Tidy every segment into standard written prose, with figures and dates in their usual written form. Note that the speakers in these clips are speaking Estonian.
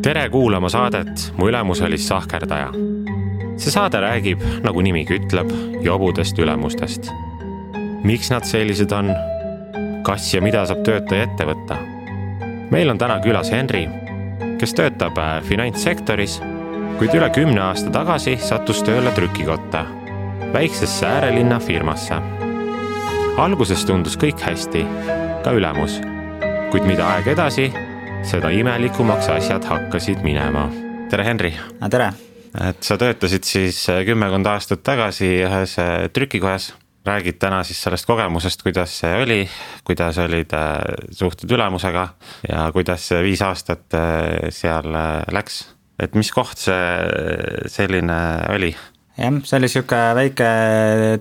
Tere kuulama saadet Mu ülemus oli sahkerdaja. See saade räägib, nagu nimigi ütleb, jobudest ülemustest. Miks nad sellised on? Kas ja mida saab töötaja ette võtta? Meil on täna külas Henri, kes töötab finantssektoris, kuid üle 10 aasta tagasi sattus tööle trükikotta, väiksesse äärelinna firmasse. Alguses tundus kõik hästi, ka ülemus, kuid mida aeg edasi, seda imelikumaks asjad hakkasid minema. Tere, Henri! Tere! Et sa töötasid siis 10 aastat tagasi ühes trükikojas. Räägid täna siis sellest kogemusest, kuidas see oli, kuidas olid suhted ülemusega ja kuidas 5 aastat seal läks. Et mis koht see selline oli? Jah, see oli siuke väike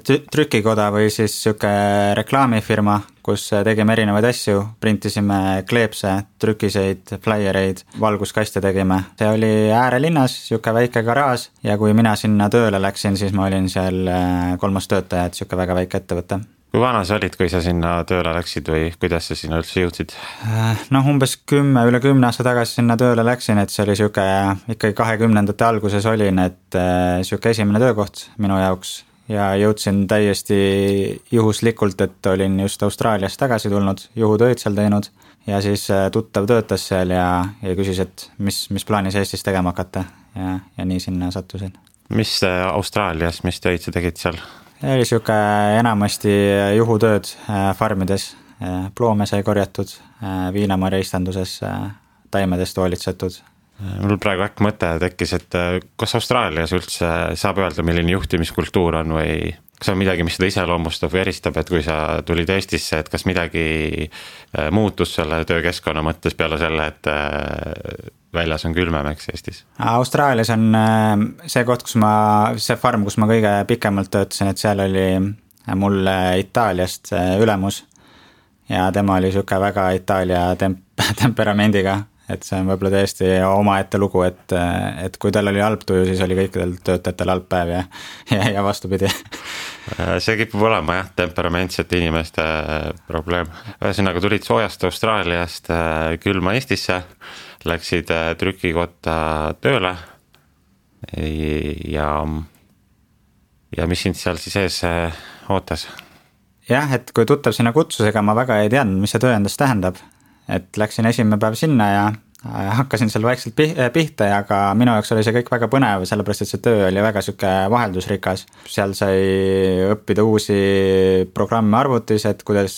trükikoda või siis siuke reklaamifirma, kus tegime erinevaid asju, printisime kleepse, trükiseid, flyreid, valguskaste tegime. See oli äärelinnas, siuke väike garaaž ja kui mina sinna tööle läksin, siis ma olin seal 3. töötaja, et siuke väga väike ettevõte. Kui vana sa olid, kui sa sinna tööle läksid või kuidas sa sinna üldse jõudsid? Umbes üle 10 aasta tagasi sinna tööle läksin, et see oli siuke ikkagi 20. alguses olin, et siuke esimene töökoht minu jaoks ja jõudsin täiesti juhuslikult, et olin just Austraaliast tagasi tulnud, juhutööd seal teinud ja siis tuttav töötas seal ja küsis, et mis plaanis Eestis tegema hakata ja nii sinna sattusin. Mis Austraalias, mis töid sa tegid seal? Oli siuke enamasti juhutööd farmides, ploome sai korjatud, viinamarja istanduses, taimedest hoolitsetud. Mul praegu äkki mõte tekkis, et kas Austraalias üldse saab öelda, milline juhtimiskultuur on või kas on midagi, mis seda iseloomustab või eristab, et kui sa tulid Eestisse, et kas midagi muutus selle töökeskkonna mõttes peale selle, et väljas on külmem, eks Eestis? Austraalias on see koht, see farm, kus ma kõige pikemalt töötasin, et seal oli mul Itaaliast ülemus ja tema oli siuke väga Itaalia temperamendiga, et see on võib-olla täiesti omaette lugu, et kui tal oli halb tuju, siis oli kõikidel töötajatel halb päev ja vastupidi. See kipub olema jah, temperamentsete inimeste probleem. Ühesõnaga tulid soojast Austraaliast külma Eestisse, läksid trükikotta tööle ja mis sind seal siis ees ootas? Jah, et kui tuttav sinna kutsusega, ma väga ei teadnud, mis see töö endast tähendab. Et läksin esimene päev sinna ja hakkasin seal vaikselt pihta, aga minu jaoks oli see kõik väga põnev, sellepärast et see töö oli väga siuke vaheldusrikas. Seal sai õppida uusi programme arvutis, et kuidas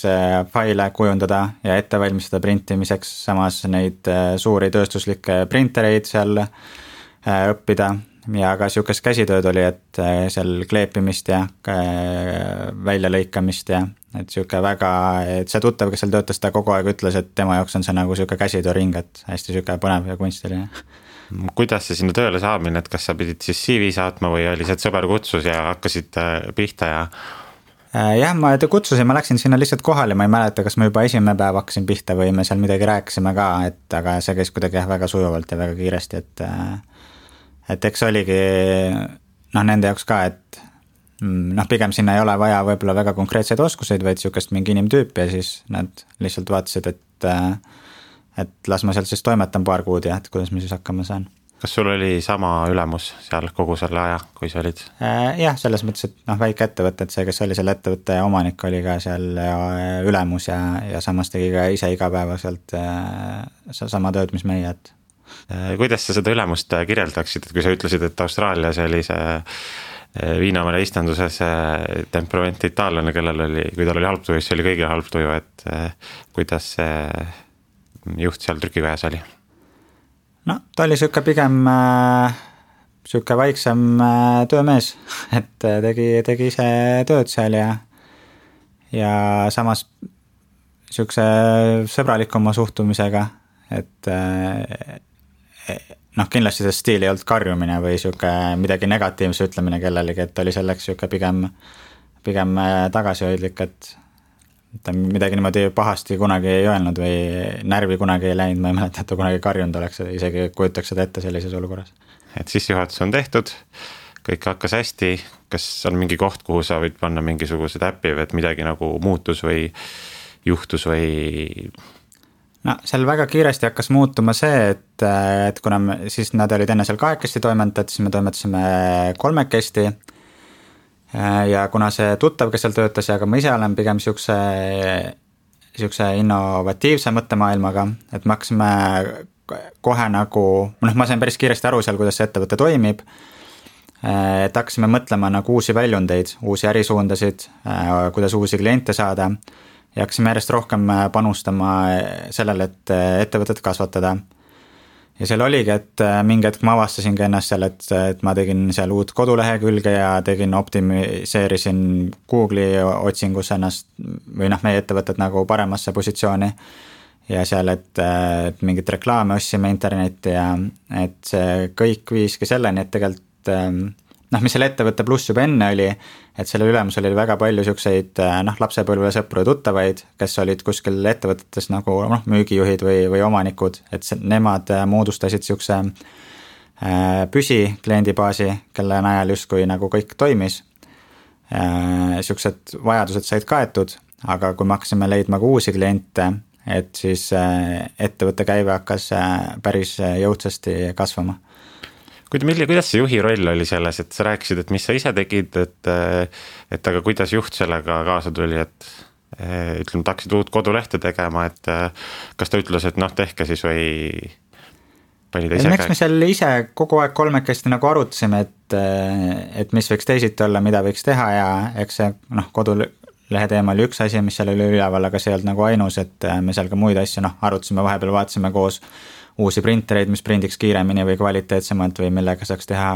faile kujundada ja ette valmistada printimiseks, samas neid suuri tööstuslikke printereid seal õppida. Ja ka siukest käsitööd oli, et seal kleepimist ja väljalõikamist ja et siuke väga, et see tuttav, kes seal töötas, ta kogu aeg ütles, et tema jaoks on see nagu siuke käsitööring, et hästi siuke põnev ja kunstiline. Kuidas see sinna tööle saamine, et kas sa pidid siis CV saatma või oli see, et sõber kutsus ja hakkasid pihta ja? Jah, ma kutsusin, ma läksin sinna lihtsalt kohale, ma ei mäleta, kas ma juba esimene päev hakkasin pihta või me seal midagi rääkisime ka, aga see käis kuidagi väga sujuvalt ja väga kiiresti, et eks oligi nende jaoks ka, et pigem sinna ei ole vaja võib-olla väga konkreetseid oskuseid, vaid siukest mingi inimtüüp ja siis nad lihtsalt vaatasid, et las ma seal siis toimetan paar kuud ja et kuidas ma siis hakkama saan. Kas sul oli sama ülemus seal kogu selle aja, kui sa olid? Jah, selles mõttes, et väike ettevõte, et see, kes oli selle ettevõtte omanik, oli ka seal ülemus ja samas tegi ka ise igapäevaselt sama tööd, mis meie, et kuidas sa seda ülemust kirjeldaksid, et kui sa ütlesid, et Austraalias oli see viinamarja istanduses temperament itaallane, kellel oli, kui tal oli halb tuju, siis oli kõigil halb tuju, et kuidas see juht seal trükikojas oli? Ta oli siuke pigem siuke vaiksem töömees, et tegi ise tööd seal ja samas siukse sõbralikuma suhtumisega, et kindlasti see stiil ei olnud karjumine või siuke midagi negatiivse ütlemine kellelegi, et oli selleks siuke pigem tagasihoidlik, et ta midagi niimoodi pahasti kunagi ei öelnud või närvi kunagi ei läinud, ma ei mäleta, et ta kunagi karjunud oleks, isegi kujutaks seda ette sellises olukorras. Et sissejuhatus on tehtud, kõik hakkas hästi, kas on mingi koht, kuhu sa võid panna mingisugused äppi või et midagi nagu muutus või juhtus või no seal väga kiiresti hakkas muutuma see, et kuna siis nad olid enne seal 2 toimetajad, siis me toimetasime 3. Ja kuna see tuttav, kes seal töötas ja ka ma ise olen pigem siukse innovatiivse mõttemaailmaga, et me hakkasime kohe nagu, ma sain päris kiiresti aru seal, kuidas see ettevõte toimib, et hakkasime mõtlema nagu uusi väljundeid, uusi ärisuundasid, kuidas uusi kliente saada ja hakkasime järjest rohkem panustama sellele, et ettevõtet kasvatada. Ja seal oligi, et mingi hetk ma avastasingi ennast seal, et ma tegin seal uut kodulehekülge ja optimiseerisin Google'i otsingus ennast või meie ettevõtet nagu paremasse positsiooni ja seal, et mingit reklaame ostsime internetti ja et see kõik viiski selleni, et tegelikult mis selle ettevõtte pluss juba enne oli, et selle ülemusel oli väga palju siukseid lapsepõlve sõpru ja tuttavaid, kes olid kuskil ettevõtetes nagu müügijuhid või omanikud, et nemad moodustasid siukse püsikliendibaasi, kelle najal justkui nagu kõik toimis. Siuksed vajadused said kaetud, aga kui me hakkasime leidma ka uusi kliente, et siis ettevõtte käive hakkas päris jõudsasti kasvama. Kuidas see juhi roll oli selles, et sa rääkisid, et mis sa ise tegid, et aga kuidas juht sellega kaasa tuli, et ütleme, tahaksid uut kodulehte tegema, et kas ta ütles, et tehke siis või pani ta ise käi? Eks me seal ise kogu aeg 3 nagu arutasime, et mis võiks teisiti olla, mida võiks teha ja eks see kodulehe teema oli üks asi, mis seal oli üleval, aga see ei olnud nagu ainus, et me seal ka muid asju arutasime, vahepeal vaatasime koos uusi printereid, mis prindiks kiiremini või kvaliteetsemalt või millega saaks teha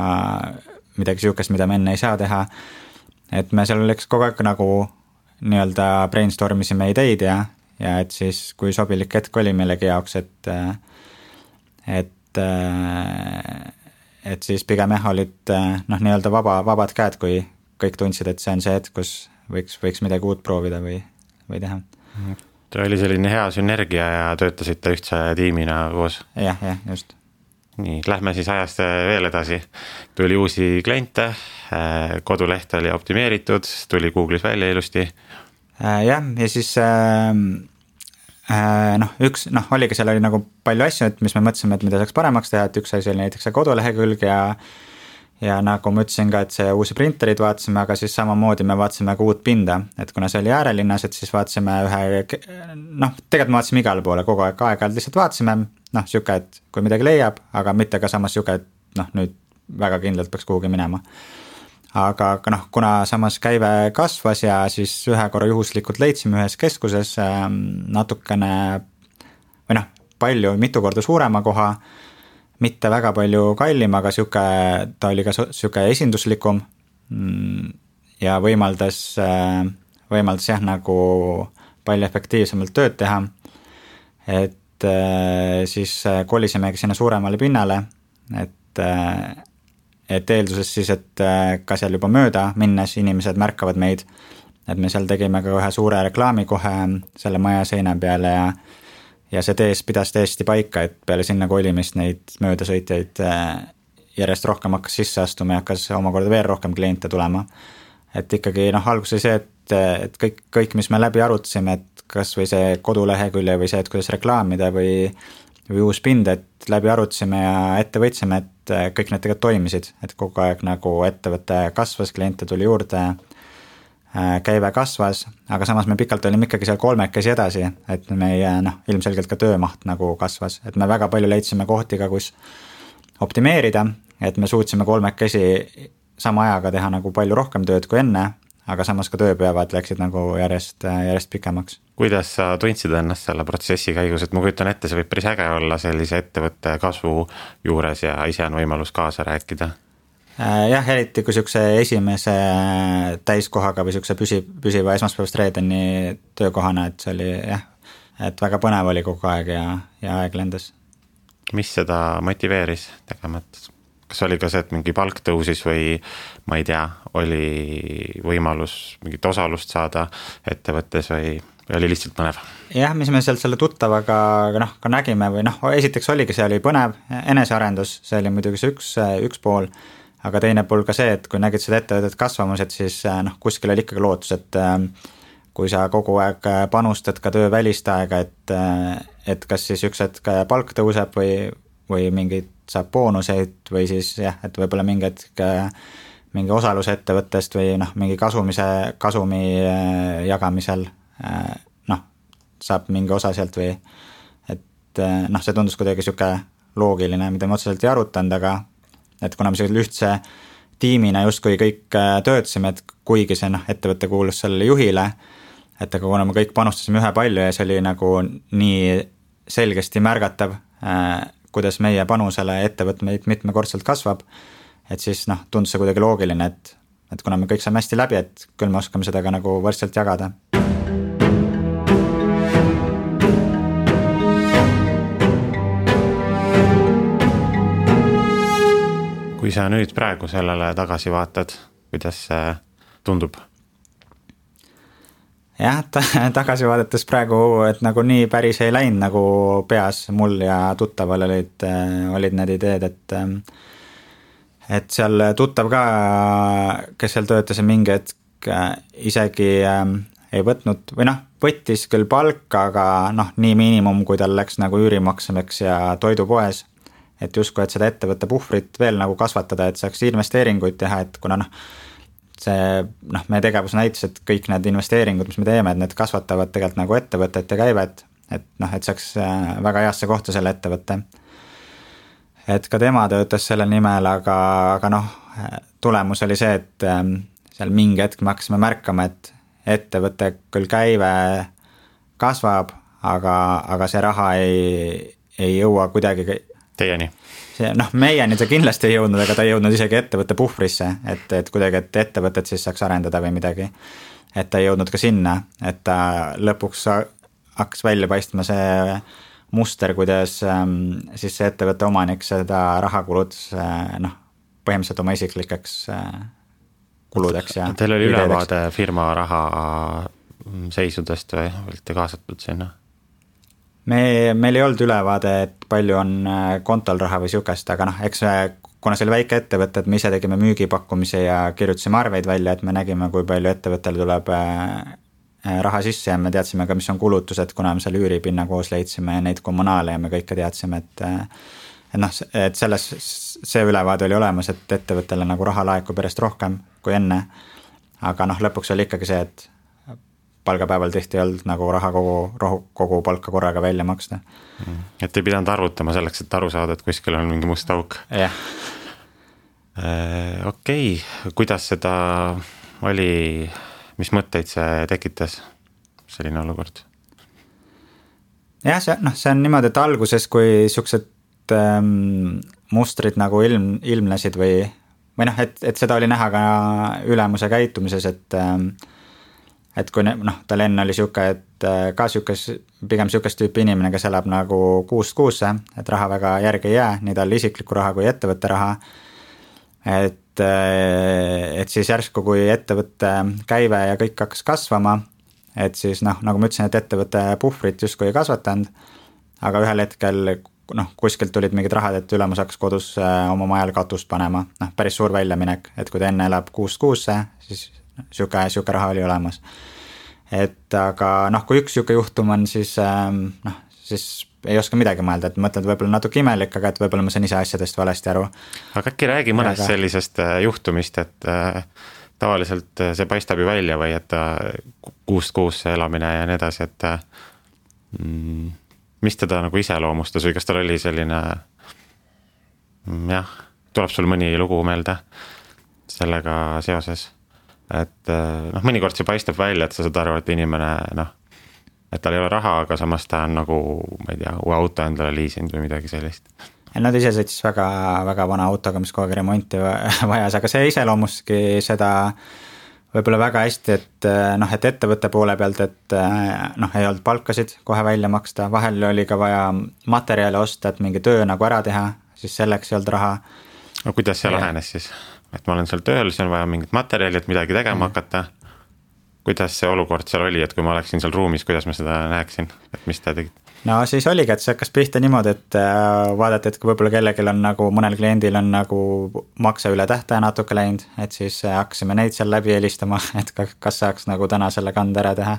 midagi siukest, mida me enne ei saa teha. Et me seal oleks kogu aeg nagu nii-öelda brainstormisime ideid ja et siis kui sobilik hetk oli millegi jaoks, et siis pigem olid nii-öelda vabad käed, kui kõik tundsid, et see on see hetk, kus võiks midagi uut proovida või teha. Ta oli selline hea sünergia ja töötasite ühtse tiimina koos. Jah, just. Nii, lähme siis ajast veel edasi. Tuli uusi kliente, koduleht oli optimeeritud, tuli Google'is välja ilusti. Ja siis oligi, seal oli nagu palju asju, et mis me mõtlesime, et mida saaks paremaks teha, et üks asi oli näiteks see kodulehekülg ja nagu ma ütlesin ka, et see uusi printerid vaatasime, aga siis samamoodi me vaatasime ka uut pinda, et kuna see oli äärelinnas, et siis vaatasime tegelikult me vaatasime igale poole kogu aeg lihtsalt vaatasime, siuke, et kui midagi leiab, aga mitte ka samas siuke, et nüüd väga kindlalt peaks kuhugi minema. Aga kuna samas käive kasvas ja siis ühe korra juhuslikult leidsime ühes keskuses natukene või palju, mitu korda suurema koha, mitte väga palju kallim, aga ta oli ka siuke esinduslikum ja võimaldas nagu palju efektiivsemalt tööd teha. Et siis kolisimegi sinna suuremale pinnale, et eelduses siis, et ka seal juba mööda minnes inimesed märkavad meid, et me seal tegime ka ühe suure reklaami kohe selle maja seina peale ja see tees pidas täiesti paika, et peale sinna kolimist neid möödasõitjaid järjest rohkem hakkas sisse astuma ja hakkas omakorda veel rohkem kliente tulema. Et ikkagi alguses see, et kõik, mis me läbi arutasime, et kas või see kodulehekülje või see, et kuidas reklaamida või uus pind, et läbi arutasime ja ette võtsime, et kõik need tegelikult toimisid, et kogu aeg nagu ettevõte kasvas, kliente tuli juurde, käive kasvas, aga samas me pikalt olime ikkagi seal 3 edasi, et meie ilmselgelt ka töömaht nagu kasvas, et me väga palju leidsime kohti ka, kus optimeerida, et me suutsime 3 sama ajaga teha nagu palju rohkem tööd kui enne, aga samas ka tööpäevad läksid nagu järjest pikemaks. Kuidas sa tundsid ennast selle protsessi käigus, et ma kujutan ette, see võib päris äge olla sellise ettevõtte kasvu juures ja ise on võimalus kaasa rääkida? Jah, eriti kui siukse esimese täiskohaga või siukse püsiva esmaspäevast reedeni töökohana, et see oli et väga põnev oli kogu aeg ja aeg lendas. Mis seda motiveeris tegema? Kas oli ka see, et mingi palk tõusis või ma ei tea, oli võimalus mingit osalust saada ettevõttes või oli lihtsalt põnev? Jah, mis me sealt selle tuttavaga ka nägime või esiteks oligi, see oli põnev enesearendus, see oli muidugi see üks pool, aga teine pool ka see, et kui nägid seda ettevõtet kasvamas, et siis kuskil oli ikkagi lootus, et kui sa kogu aeg panustad ka töö välist aega, et kas siis üks hetk palk tõuseb või mingid saab boonuseid või siis jah, et võib-olla mingi hetk mingi osaluse ettevõttest või noh, mingi kasumi jagamisel noh, saab mingi osa sealt või et noh, see tundus kuidagi sihuke loogiline, mida me otseselt ei arutanud, aga et kuna me sellisel ühtse tiimina justkui kõik töötasime, et kuigi see noh, ettevõte kuulus sellele juhile, et aga kuna me kõik panustasime ühe palju ja see oli nagu nii selgesti märgatav, kuidas meie panusele ettevõtt meid mitmekordselt kasvab, et siis noh, tundus see kuidagi loogiline, et kuna me kõik saame hästi läbi, et küll me oskame seda ka nagu võrdselt jagada. Kui sa nüüd praegu sellele tagasi vaatad, kuidas see tundub? Jah, tagasi vaadates praegu, et nagu nii päris ei läinud nagu peas mul ja tuttaval olid need ideed, et seal tuttav ka, kes seal töötas mingi hetk isegi ei võtnud või noh, võttis küll palka, aga noh, nii miinimum, kui tal läks nagu üürimaksmiseks ja toidupoes, et justkui, et seda ettevõtte puhvrit veel nagu kasvatada, et saaks investeeringuid teha, et kuna noh, see noh, meie tegevus näitas, et kõik need investeeringud, mis me teeme, et need kasvatavad tegelikult nagu ettevõtet ja käivet, et noh, et saaks väga heasse kohta selle ettevõtte. Et ka tema töötas selle nimel, aga noh, tulemus oli see, et seal mingi hetk me hakkasime märkama, et ettevõte küll käive kasvab, aga see raha ei jõua kuidagi teieni. Noh, meieni ta kindlasti ei jõudnud, aga ta ei jõudnud isegi ettevõtte puhvrisse, et kuidagi, et ettevõtet siis saaks arendada või midagi. Et ta ei jõudnud ka sinna, et ta lõpuks hakkas välja paistma see muster, kuidas siis see ettevõtte omanik seda raha kulutas noh, põhimõtteliselt oma isiklikeks kuludeks. Ja teil oli ülevaade firma raha seisudest või olite kaasatud sinna? Meil ei olnud ülevaade, et palju on kontol raha või siukest, aga noh, eks kuna see oli väike ettevõte, et me ise tegime müügipakkumise ja kirjutasime arveid välja, et me nägime, kui palju ettevõttele tuleb raha sisse ja me teadsime ka, mis on kulutused, kuna me seal üüripinna koos leidsime ja neid kommunaale ja me kõike teadsime, et noh, et see ülevaade oli olemas, et ettevõttele nagu raha laekub järjest rohkem kui enne, aga noh, lõpuks oli ikkagi see, et palgapäeval tihti ei olnud nagu raha kogu palka korraga välja maksta. Et ei pidanud arvutama selleks, et aru saada, et kuskil on mingi must auk. Jah. Okei, kuidas seda oli, mis mõtteid see tekitas, selline olukord? Jah, see on niimoodi, et alguses, kui siuksed mustrid nagu ilmnesid või noh, et seda oli näha ka ülemuse käitumises, et kui noh, tal enne oli siuke, et ka pigem siukest tüüpi inimene, kes elab nagu kuust kuusse, et raha väga järgi ei jää, nii tal isikliku raha kui ettevõtte raha. Et siis järsku, kui ettevõtte käive ja kõik hakkas kasvama, et siis noh, nagu ma ütlesin, et ettevõtte puhvrit justkui ei kasvatanud, aga ühel hetkel noh, kuskilt tulid mingid rahad, et ülemus hakkas kodus oma majal katust panema, noh, päris suur väljaminek, et kui ta enne elab kuust kuusse, siis siuke raha oli olemas. Et aga noh, kui üks siuke juhtum on, siis noh, siis ei oska midagi mõelda, et mõtled võib-olla natuke imelik, aga et võib-olla ma saan ise asjadest valesti aru. Aga äkki räägi mõnest sellisest juhtumist, et tavaliselt see paistab ju välja või et kuust kuusse elamine ja nii edasi, et mis teda nagu iseloomustas või kas tal oli selline jah, tuleb sul mõni lugu meelde sellega seoses? Et noh, mõnikord see paistab välja, et sa saad aru, et inimene noh, et tal ei ole raha, aga samas ta on nagu, ma ei tea, uue auto endale liisinud või midagi sellist. Nad ise sõitis väga, väga vana autoga, mis kogu aeg remonti vajas, aga see iseloomuski seda võib-olla väga hästi, et noh, et ettevõtte poole pealt, et noh, ei olnud palkasid kohe välja maksta, vahel oli ka vaja materjale osta, et mingi töö nagu ära teha, siis selleks ei olnud raha. No kuidas see lahenes siis? Et ma olen seal tööl, siis on vaja mingit materjali, et midagi tegema hakata. Kuidas see olukord seal oli, et kui ma oleksin seal ruumis, kuidas ma seda näeksin, et mis ta tegid? No siis oligi, et see hakkas pihta niimoodi, et vaadati, et kui võib-olla kellelgi on nagu, mõnel kliendil on nagu makse üle tähtaja natuke läinud, et siis hakkasime neid seal läbi helistama, et kas saaks nagu täna selle kande ära teha.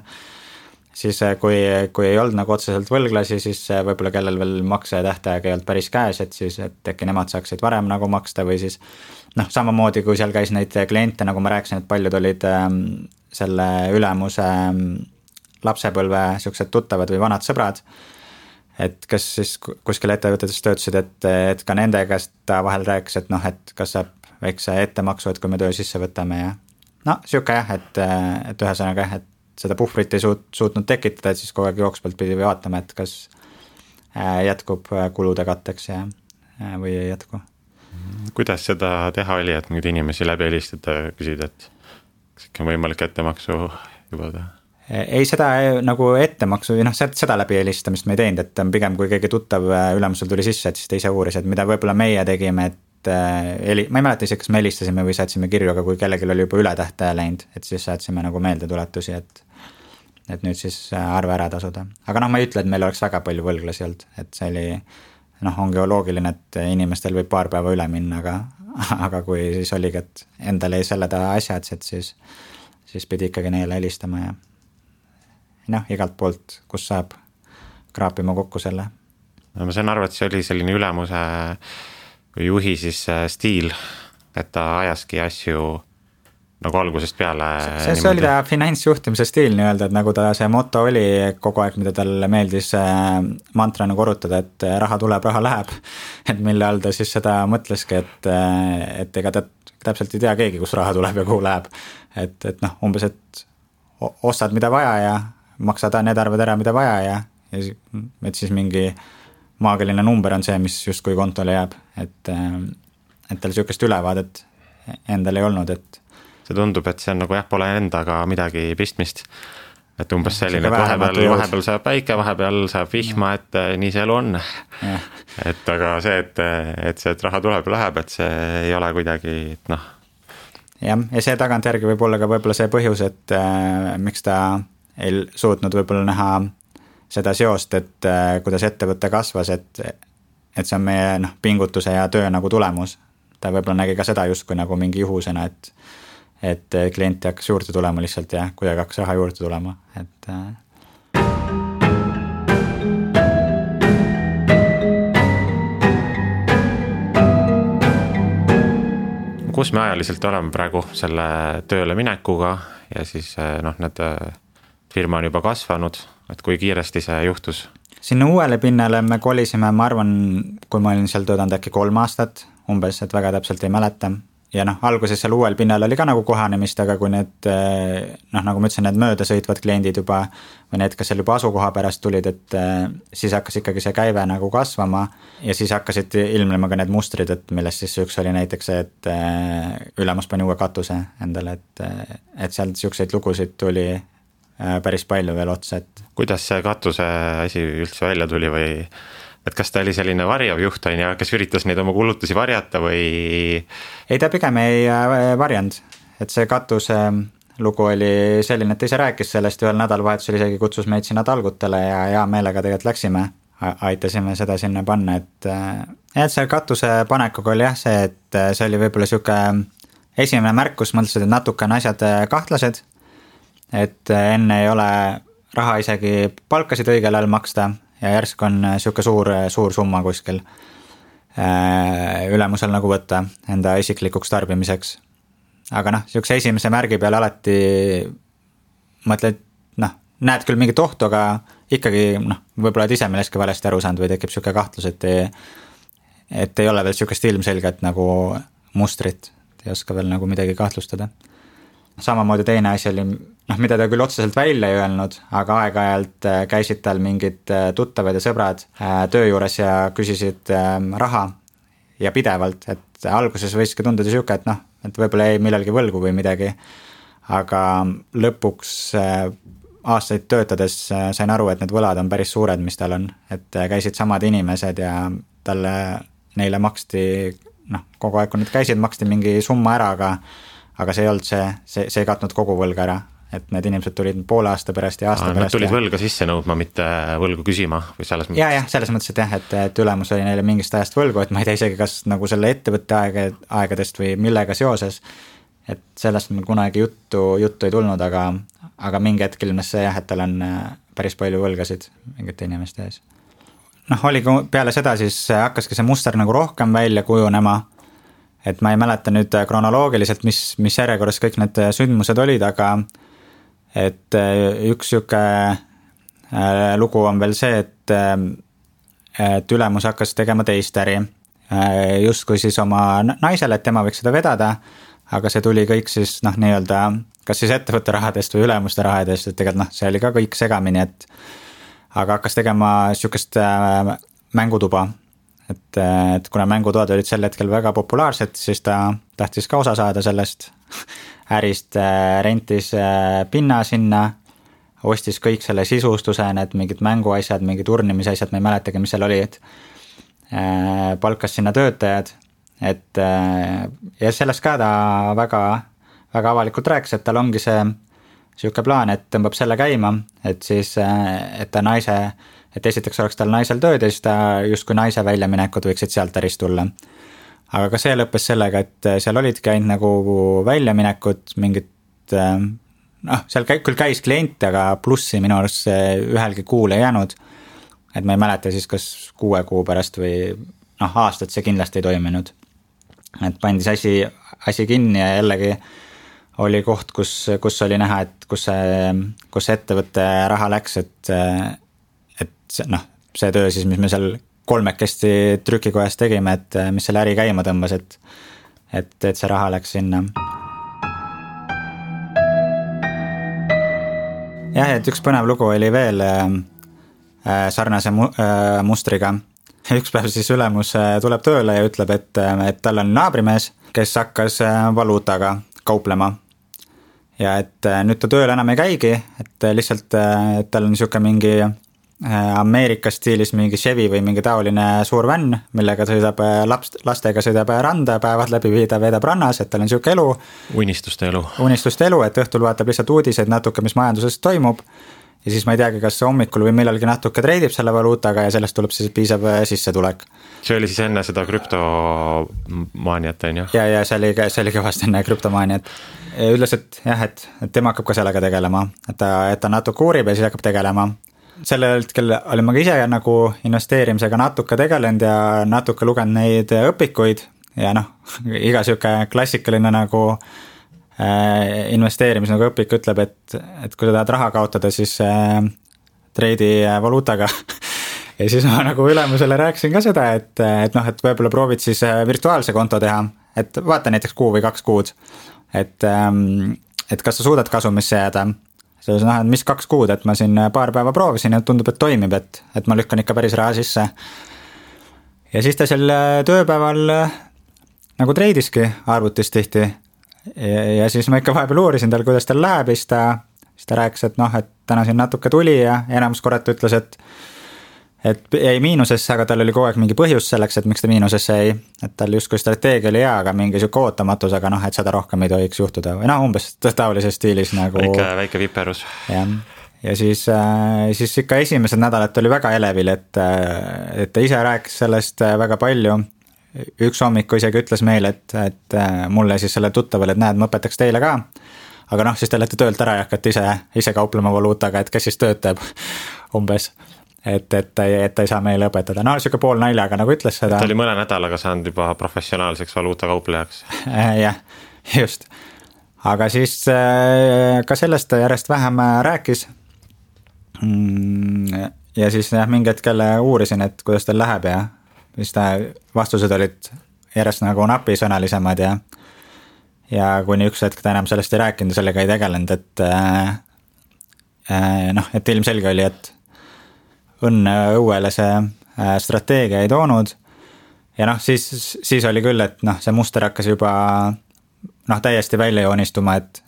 siis kui ei olnud nagu otseselt võlglasi, siis võib-olla kellel veel makse tähtaeg ei olnud päris käes, et siis, et äkki nemad saaksid varem nagu maksta või siis noh, samamoodi kui seal käis neid kliente, nagu ma rääkisin, et paljud olid selle ülemuse lapsepõlve siuksed tuttavad või vanad sõbrad, et kes siis kuskil ettevõtetes töötasid, et ka nende käest ta vahel rääkis, et noh, et kas saab väikse ettemaksu, et kui me töö sisse võtame ja no siuke jah, et ühesõnaga jah, et seda puhvrit ei suutnud tekitada, et siis kogu aeg jooksvalt pidi vaatama, et kas jätkub kulude katteks ja, või ei jätku. Kuidas seda teha oli, et nüüd inimesi läbi helistada, küsida, et kas ikka on võimalik ettemaksu juba teha? Ei, seda nagu ettemaksu, noh, seda läbi helistamist me ei teinud, et pigem kui keegi tuttav ülemusel tuli sisse, et siis ta ise uuris, et mida võib-olla meie tegime, et ma ei mäleta ise, kas me helistasime või saatsime kirju, aga kui kellelgi oli juba üle tähtaja läinud, et siis saatsime nagu meeldetuletusi, et nüüd siis arve ära tasuda. Aga noh, ma ei ütle, et meil oleks väga palju võlglasi olnud, et see oli, noh, ongi loogiline, et inimestel võib paar päeva üle minna, aga kui siis oligi, et endal ei selle ta asjad, et siis pidi ikkagi neile helistama ja noh, igalt poolt, kus saab kraapima kokku selle. No ma saan aru, et see oli selline ülemuse või juhi siis stiil, et ta ajaski asju nagu algusest peale. See oli ta finantsjuhtimise stiil nii-öelda, et nagu ta see moto oli kogu aeg, mida talle meeldis mantrana korrutada, et raha tuleb, raha läheb. Et mille all ta siis seda mõtleski, et ega ta täpselt ei tea keegi, kus raha tuleb ja kuhu läheb. Et noh, umbes, et ostad mida vaja ja maksad need arved ära, mida vaja ja et siis mingi maagiline number on see, mis justkui kontole jääb, et tal sihukest ülevaadet endal ei olnud, et see tundub, et see on nagu jah, pole endaga midagi pistmist, et umbes selline, et vahepeal saab päike, vahepeal saab vihma, et nii see elu on. Et aga see, et raha tuleb ja läheb, et see ei ole kuidagi, et noh. Ja see tagantjärgi võib olla ka võib-olla see põhjus, et miks ta ei suutnud võib-olla näha seda seost, et kuidas ettevõte kasvas, et see on meie pingutuse ja töö nagu tulemus. Ta võib-olla nägi ka seda justkui nagu mingi juhusena, et klienti hakkas juurde tulema lihtsalt ja kuidagi hakkas raha juurde tulema, et kus me ajaliselt oleme praegu selle tööle minekuga ja siis need firma on juba kasvanud, et kui kiiresti see juhtus? Sinna uuele pinnale me kolisime, ma arvan, kui ma olin seal töötanud äkki 3 aastat umbes, et väga täpselt ei mäleta. Ja alguses seal uuel pinnal oli ka nagu kohanemist, aga kui need, nagu ma ütlesin, need möödasõitvad kliendid juba, või need, kes seal juba asukoha pärast tulid, et siis hakkas ikkagi see käive nagu kasvama ja siis hakkasid ilmnema ka need mustrid, et millest siis üks oli näiteks see, et ülemus pani uue katuse endale, et sealt siukseid lugusid tuli päris palju veel otsa, et kuidas see katuse asi üldse välja tuli või et kas ta oli selline varjav juht on ja kes üritas neid oma kulutusi varjata või? Ei, ta pigem ei varjanud, et see katuse lugu oli selline, et ise rääkis sellest ühel nädalavahetusel isegi kutsus meid sinna talgutele ja hea meelega tegelikult läksime, aitasime seda sinna panna, et see katuse panekuga oli jah see, et see oli võib-olla siuke esimene märkus, mõtlesid, et natuke on asjad kahtlased, et enne ei ole raha isegi palkasid õigel ajal maksta ja järsk on siuke suur summa kuskil ülemusel nagu võtta enda isiklikuks tarbimiseks. Aga siukse esimese märgi peale alati mõtled, näed küll mingit ohtu, aga ikkagi võib-olla et ise millestki valesti aru saanud või tekib siuke kahtlus, et ei ole veel siukest ilmselget nagu mustrit, ei oska veel nagu midagi kahtlustada. Samamoodi teine asi oli, mida ta küll otseselt välja ei öelnud, aga aeg-ajalt käisid tal mingid tuttavad ja sõbrad töö juures ja küsisid raha ja pidevalt, et alguses võiski tunduda siuke, et võib-olla ei millalgi võlgu või midagi, aga lõpuks aastaid töötades sain aru, et need võlad on päris suured, mis tal on, et käisid samad inimesed ja neile maksti, kogu aeg kui need käisid, maksti mingi summa ära, aga see ei olnud see ei katnud kogu võlga ära, et need inimesed tulid poole aasta pärast ja aasta pärast. Nad tulid võlga sisse nõudma, mitte võlgu küsima või selles mõttes? Ja, selles mõttes, et jah, et ülemus oli neile mingist ajast võlgu, et ma ei tea isegi, kas nagu selle ettevõtte aegadest või millega seoses, et sellest meil kunagi juttu ei tulnud, aga mingi hetkel ilmnes see jah, et tal on päris palju võlgasid mingite inimeste ees. Noh, oli peale seda siis hakkaski see muster nagu rohkem välja kujunema, et ma ei mäleta nüüd kronoloogiliselt, mis järjekorras kõik need sündmused olid, aga et üks siuke lugu on veel see, et ülemus hakkas tegema teist äri, justkui siis oma naisele, et tema võiks seda vedada, aga see tuli kõik siis nii-öelda kas siis ettevõtte rahadest või ülemuste rahadest, et tegelikult see oli ka kõik segamini, et aga hakkas tegema siukest mängutuba, et kuna mängutoad olid sel hetkel väga populaarsed, siis ta tahtis ka osa saada sellest ärist, rentis pinna sinna, ostis kõik selle sisustuse, need mingid mänguasjad, mingid turnimisasjad, ma ei mäletagi, mis seal oli, et palkas sinna töötajad, et ja sellest ka ta väga avalikult rääkis, et tal ongi see siuke plaan, et tõmbab selle käima, et siis, et esiteks oleks tal naisel tööd ja siis ta justkui naise väljaminekud võiksid sealt ärist tulla. Aga ka see lõppes sellega, et seal olidki ainult nagu väljaminekud, mingid, seal küll käis klient, aga plussi minu arust ühelgi kuul ei jäänud, et ma ei mäleta siis kas 6 kuu pärast või aastat see kindlasti ei toiminud. Et pandi see asi kinni ja jällegi oli koht, kus oli näha, et kus ettevõtte raha läks, et see töö siis, mis me seal 3 trükikojas tegime, et mis selle äri käima tõmbas, et see raha läks sinna. Jah, et üks põnev lugu oli veel sarnase mustriga. Üks päev siis ülemus tuleb tööle ja ütleb, et tal on naabrimees, kes hakkas valuutaga kauplema. Ja et nüüd ta tööl enam ei käigi, et lihtsalt et tal on siuke mingi Ameerika stiilis mingi Chevy või mingi taoline suur vänn, millega sõidab lastega sõidab randa, päevad läbi veedab rannas, et tal on siuke elu. Unistuste elu, et õhtul vaatab lihtsalt uudiseid natuke, mis majanduses toimub. Ja siis ma ei teagi, kas hommikul või millalgi natuke treidib selle valuutaga ja sellest tuleb siis piisav sissetulek. See oli siis enne seda krüptomaaniat, on ju? Ja see oli kõvasti enne krüptomaaniat. Ütles, et jah, et tema hakkab ka sellega tegelema, et ta natuke uurib ja siis hakkab tegelema. Selle hetkel olin ma ka ise nagu investeerimisega natuke tegelenud ja natuke lugenud neid õpikuid ja iga siuke klassikaline nagu investeerimis nagu õpik ütleb, et kui sa tahad raha kaotada, siis treidi valuutaga. Ja siis ma nagu ülemusele rääkisin ka seda, et võib-olla proovid siis virtuaalse konto teha, et vaata näiteks 1 või 2 kuud, et kas sa suudad kasumisse jääda. Selles et mis 2 kuud, et ma siin paar päeva proovisin ja tundub, et toimib, et ma lükkan ikka päris raha sisse. Ja siis ta seal tööpäeval nagu treidiski arvutis tihti. Ja siis ma ikka vahepeal uurisin tal, kuidas tal läheb, siis ta rääkis, et täna siin natuke tuli ja enamus korrat ütles, et ei miinusesse, aga tal oli kogu aeg mingi põhjus selleks, et miks ta miinusesse ei, et tal justkui strateegia oli hea, aga mingi siuke ootamatus, aga et seda rohkem ei tohiks juhtuda või umbes taolises stiilis nagu. Väike viperus. Ja siis ikka esimesed nädalat oli väga elevil, et ta ise rääkis sellest väga palju. Üks hommiku isegi ütles meile, et mulle siis selle tuttavale, et näed, ma õpetaks teile ka, aga siis te olete töölt ära ja hakkate ise kauplema valuutaga, et kes siis töötab umbes, et ta ei saa meile õpetada. Siuke pool naljaga nagu ütles seda. Ta oli mõne nädalaga saanud juba professionaalseks valuutakauplejaks. Jah, just. Aga siis ka sellest ta järjest vähem rääkis. Ja siis mingi hetkel uurisin, et kuidas tal läheb ja siis vastused olid järjest nagu napisõnalisemad ja kuni üks hetk ta enam sellest ei rääkinud ja sellega ei tegelenud, et ilmselge oli, et õnne õuele see strateegia ei toonud ja siis oli küll, et see muster hakkas juba täiesti välja joonistuma, et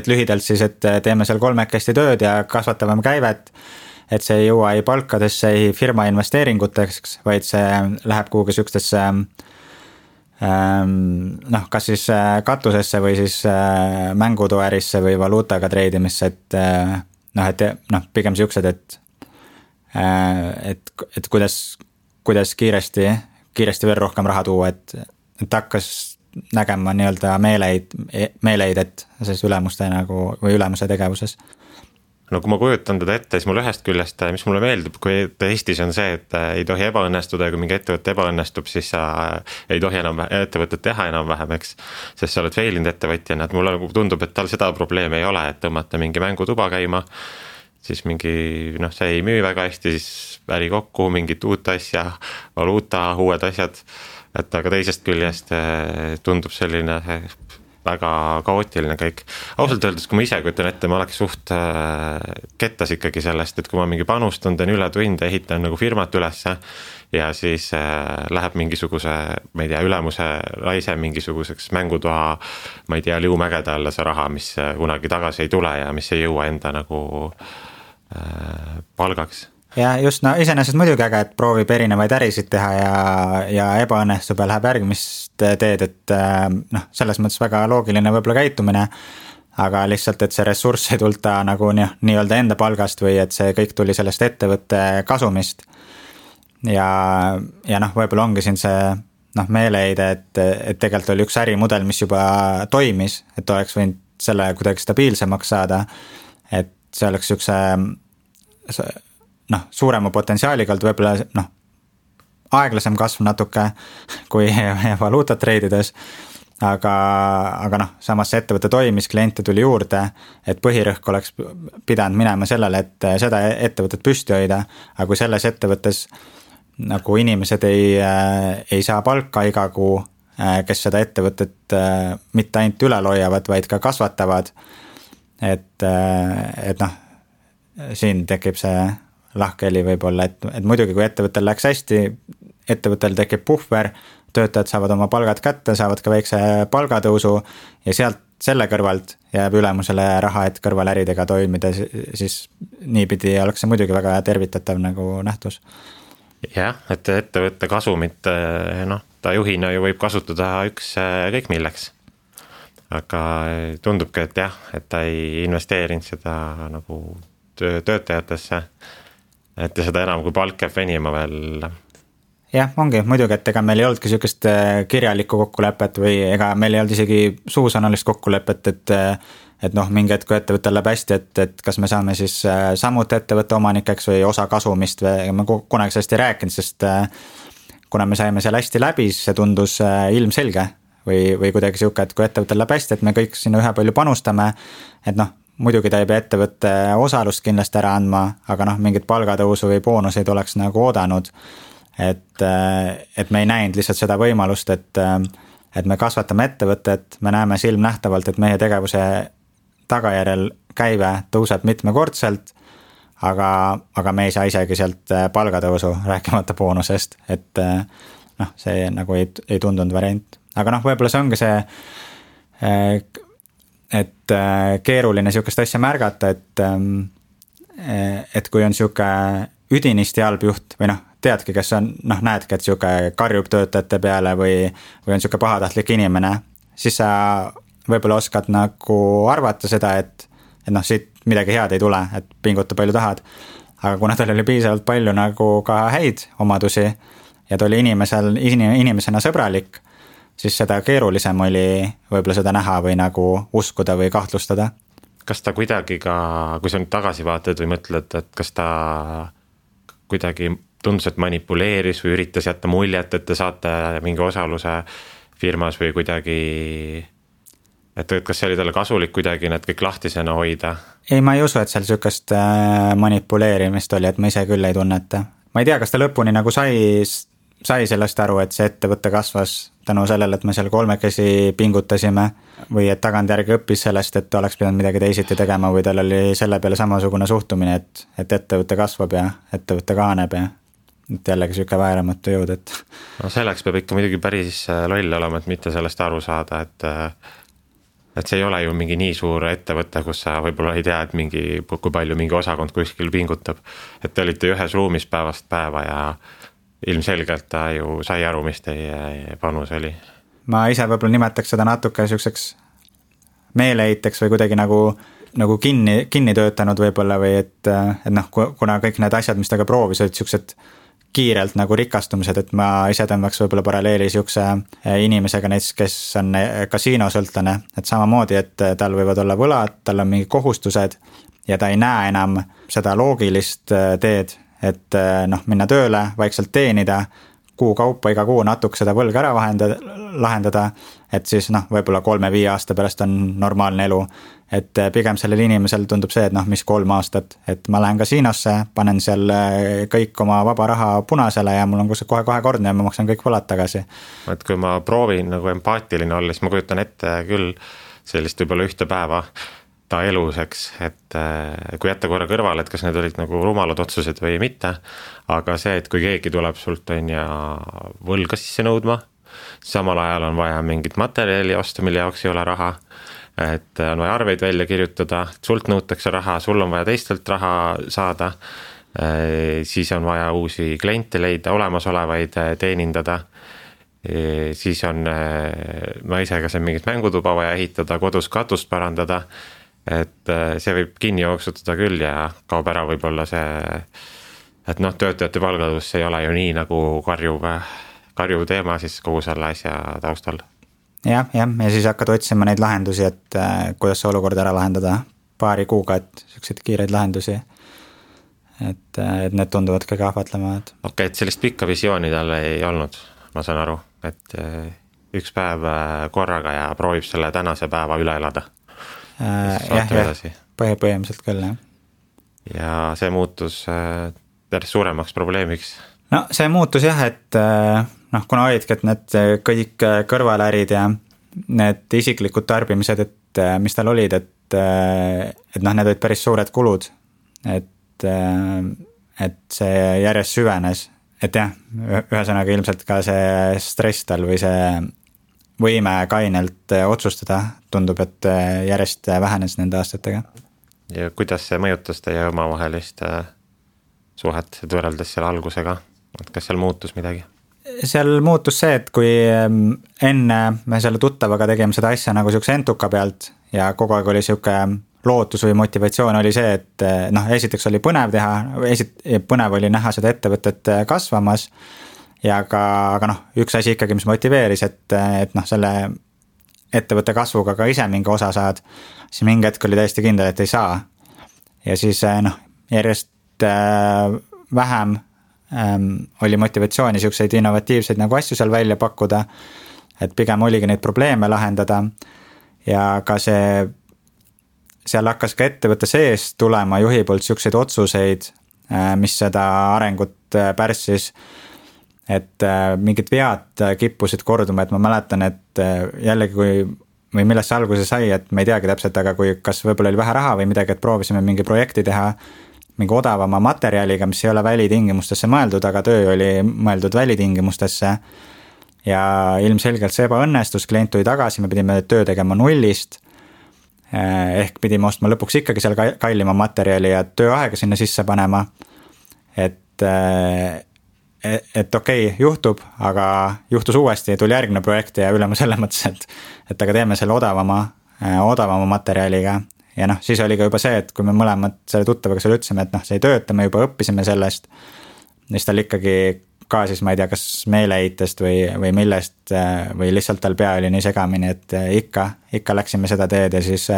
lühidalt siis, et teeme seal 3 tööd ja kasvatame käivet, et see ei jõua ei palkadesse, ei firma investeeringuteks, vaid see läheb kuhugi sükstesse kas siis katusesse või siis mängutoärisse või valuutaga treidimisse, et pigem siuksed, et kuidas kiiresti veel rohkem raha tuua, et hakkas nägema nii-öelda meeleid, et siis ülemuste nagu või ülemuse tegevuses. no kui ma kujutan teda ette, siis mul ühest küljest, mis mulle meeldib, kui Eestis on see, et ei tohi ebaõnnestuda ja kui mingi ettevõte ebaõnnestub, siis sa ei tohi enam ettevõtet teha enam-vähem, eks. Sest sa oled failinud ettevõtjana, et mulle tundub, et tal seda probleemi ei ole, et tõmmata mingi mängutuba käima, siis mingi, see ei müü väga hästi, siis äri kokku, mingit uut asja, valuuta, uued asjad, et aga teisest küljest tundub selline väga kaootiline kõik. Ausalt öeldes, kui ma ise kujutan ette, ma oleks suht kettas ikkagi sellest, et kui ma mingi panustan, teen üle tunde, ehitan nagu firmat ülesse ja siis läheb mingisuguse, ma ei tea, ülemuse laise mingisuguseks mängutoa, ma ei tea, liumägede alla see raha, mis kunagi tagasi ei tule ja mis ei jõua enda nagu palgaks. Ja just, iseenesest muidugi äge, et proovib erinevaid ärisid teha ja ebaõnnestub ja läheb järgmist teed, et selles mõttes väga loogiline võib-olla käitumine, aga lihtsalt, et see ressurss ei tulta nagu nii-öelda enda palgast või et see kõik tuli sellest ettevõtte kasumist. Ja võib-olla ongi siin see meeleheide, et tegelikult oli üks ärimudel, mis juba toimis, et oleks võinud selle kuidagi stabiilsemaks saada, et see oleks suurema potentsiaaliga olnud võib-olla aeglasem kasv natuke kui valuutat treidides, aga samas see ettevõte toimis, kliente tuli juurde, et põhirõhk oleks pidanud minema sellele, et seda ettevõtet püsti hoida, aga kui selles ettevõttes nagu inimesed ei saa palka iga kuu, kes seda ettevõtet mitte ainult ülal hoiavad, vaid ka kasvatavad, et siin tekib see lahkheli võib-olla, et muidugi kui ettevõttel läks hästi, ettevõttel tekib puhver, töötajad saavad oma palgad kätte, saavad ka väikse palgatõusu ja sealt selle kõrvalt jääb ülemusele raha, et kõrvaläridega toimida, siis niipidi oleks see muidugi väga tervitatav nagu nähtus. Jah, et ettevõtte kasumit, ta juhina ju võib kasutada kõik milleks. Aga tundubki, et jah, et ta ei investeerinud seda nagu töötajatesse, et seda enam kui palk jääb venima veel. Jah, ongi muidugi, et ega meil ei oldki sellist kirjalikku kokkulepet või ega meil ei olnud isegi suusõnalist kokkulepet, et mingi hetk, kui ettevõttel läheb hästi, et kas me saame siis samuti ettevõtte omanikeks või osa kasumist või ma kunagi sellest ei rääkinud, sest kuna me saime seal hästi läbi, siis see tundus ilmselge või kuidagi siuke, et kui ettevõttel läheb hästi, et me kõik sinna ühe palju panustame, et muidugi ta ei pea ettevõtte osalust kindlasti ära andma, aga mingit palgatõusu või boonuseid oleks nagu oodanud, et me ei näinud lihtsalt seda võimalust, et me kasvatame ettevõtet, me näeme silmnähtavalt, et meie tegevuse tagajärjel käive tõuseb mitmekordselt, aga me ei saa isegi sealt palgatõusu rääkimata boonusest, et see nagu ei tundunud variant, aga võib-olla see ongi see, et keeruline siukest asja märgata, et kui on siuke üdinisti halb juht või teadki, kes on, näedki, et siuke karjub töötajate peale või on siuke pahatahtlik inimene, siis sa võib-olla oskad nagu arvata seda, et siit midagi head ei tule, et pinguta palju tahad, aga kuna tal oli piisavalt palju nagu ka häid omadusi ja ta oli inimesena sõbralik, siis seda keerulisem oli võib-olla seda näha või nagu uskuda või kahtlustada. Kas ta kuidagi ka, kui sa nüüd tagasi vaatad või mõtled, et kas ta kuidagi tundus, et manipuleeris või üritas jätta muljet, et te saate mingi osaluse firmas või kuidagi, et kas see oli talle kasulik kuidagi need kõik lahtisena hoida? Ei, ma ei usu, et seal siukest manipuleerimist oli, et ma ise küll ei tunneta. Ma ei tea, kas ta lõpuni nagu sai sellest aru, et see ettevõtte kasvas tänu sellele, et me seal kolmekesi pingutasime või et tagantjärgi õppis sellest, et oleks pidanud midagi teisiti tegema või tal oli selle peale samasugune suhtumine, et ettevõtte kasvab ja ettevõtte kahaneb ja et jällegi siuke vääramatu jõud, et selleks peab ikka muidugi päris loll olema, et mitte sellest aru saada, et see ei ole ju mingi nii suur ettevõte, kus sa võib-olla ei tea, et kui palju mingi osakond kuskil pingutab, et te olite ühes ruumis päevast päeva ja ilmselgelt ta ju sai aru, mis teie panus oli. Ma ise võib-olla nimetaks seda natuke siukseks meeleheiteks või kuidagi nagu kinni töötanud võib-olla või et kuna kõik need asjad, mis ta ka proovis, olid siuksed kiirelt nagu rikastumised, et ma ise tõmbaks võib-olla paralleeli siukse inimesega näiteks, kes on kasiinosõltlane, et samamoodi, et tal võivad olla võlad, tal on mingi kohustused ja ta ei näe enam seda loogilist teed, et noh, minna tööle, vaikselt teenida, kuu kaupa iga kuu natuke seda võlga ära lahendada, et siis noh, võib-olla 3-5 aasta pärast on normaalne elu. Et pigem sellel inimesel tundub see, et noh, mis 3 aastat, et ma lähen kasiinosse, panen seal kõik oma vaba raha punasele ja mul on kohe kordne ja ma maksan kõik võlad tagasi. Et kui ma proovin nagu empaatiline olla, siis ma kujutan ette küll sellist võib-olla ühte päeva ta eluseks, et kui jätta korra kõrvale, et kas need olid nagu rumalad otsused või mitte, aga see, et kui keegi tuleb sult on ja võlga sisse nõudma, samal ajal on vaja mingit materjali osta, mille jaoks ei ole raha, et on vaja arveid välja kirjutada, sult nõutakse raha, sul on vaja teistelt raha saada, siis on vaja uusi kliente leida, olemasolevaid teenindada, siis on naisega see mingit mängutuba vaja ehitada, kodus katust parandada, et see võib kinni jooksutada küll ja kaob ära võib-olla see, et noh, töötajate palgatõus ei ole ju nii nagu karjuv teema siis kogu selle asja taustal. Ja siis hakkad otsima neid lahendusi, et kuidas see olukord ära lahendada paari kuuga, et selliseid kiireid lahendusi, et need tunduvad kõige ahvatlemad. Okei, et sellist pikka visiooni tal ei olnud, ma saan aru, et üks päev korraga ja proovib selle tänase päeva üle elada. Põhimõtteliselt küll, jah. Ja see muutus päris suuremaks probleemiks. No see muutus jah, et noh, kuna olidki, et need kõik kõrvalärid ja need isiklikud tarbimised, et mis tal olid, et noh, need olid päris suured kulud, et see järjest süvenes, et jah, ühesõnaga ilmselt ka see stress tal või see võime kainelt otsustada tundub, et järjest vähenes nende aastatega. Ja kuidas see mõjutas teie omavahelist suhet võrreldes selle algusega? Et kas seal muutus midagi? Seal muutus see, et kui enne me selle tuttavaga tegime seda asja nagu siukse entuka pealt ja kogu aeg oli siuke lootus või motivatsioon oli see, et noh, esiteks oli põnev teha, põnev oli näha seda ettevõtet kasvamas ja aga noh, üks asi ikkagi, mis motiveeris, et noh, selle ettevõtte kasvuga ka ise mingi osa saad, siis mingi hetk oli täiesti kindel, et ei saa. Ja siis noh, järjest vähem oli motivatsiooni siukseid innovatiivseid nagu asju seal välja pakkuda, et pigem oligi neid probleeme lahendada ja ka seal hakkas ka ettevõtte sees tulema juhi poolt siukseid otsuseid, mis seda arengut pärssis, et mingid vead kippusid korduma, et ma mäletan, et jällegi või millest see alguse sai, et me ei teagi täpselt, aga kui kas võib-olla oli vähe raha või midagi, et proovisime mingi projekti teha mingi odavama materjaliga, mis ei ole välitingimustesse mõeldud, aga töö oli mõeldud välitingimustesse ja ilmselgelt see ebaõnnestus, klient tuli tagasi, me pidime töö tegema nullist, ehk pidime ostma lõpuks ikkagi seal kallima materjali ja tööaega sinna sisse panema, et okei, juhtub, aga juhtus uuesti, tuli järgmine projekt ja ülema selle mõttes, et aga teeme selle odavama materjaliga ja noh, siis oli ka juba see, et kui me mõlemad selle tuttavaga selle ütlesime, et noh, see ei tööta, me juba õppisime sellest, siis tal ikkagi ka siis ma ei tea, kas meeleheitest või millest või lihtsalt tal pea oli nii segamini, et ikka läksime seda teed ja siis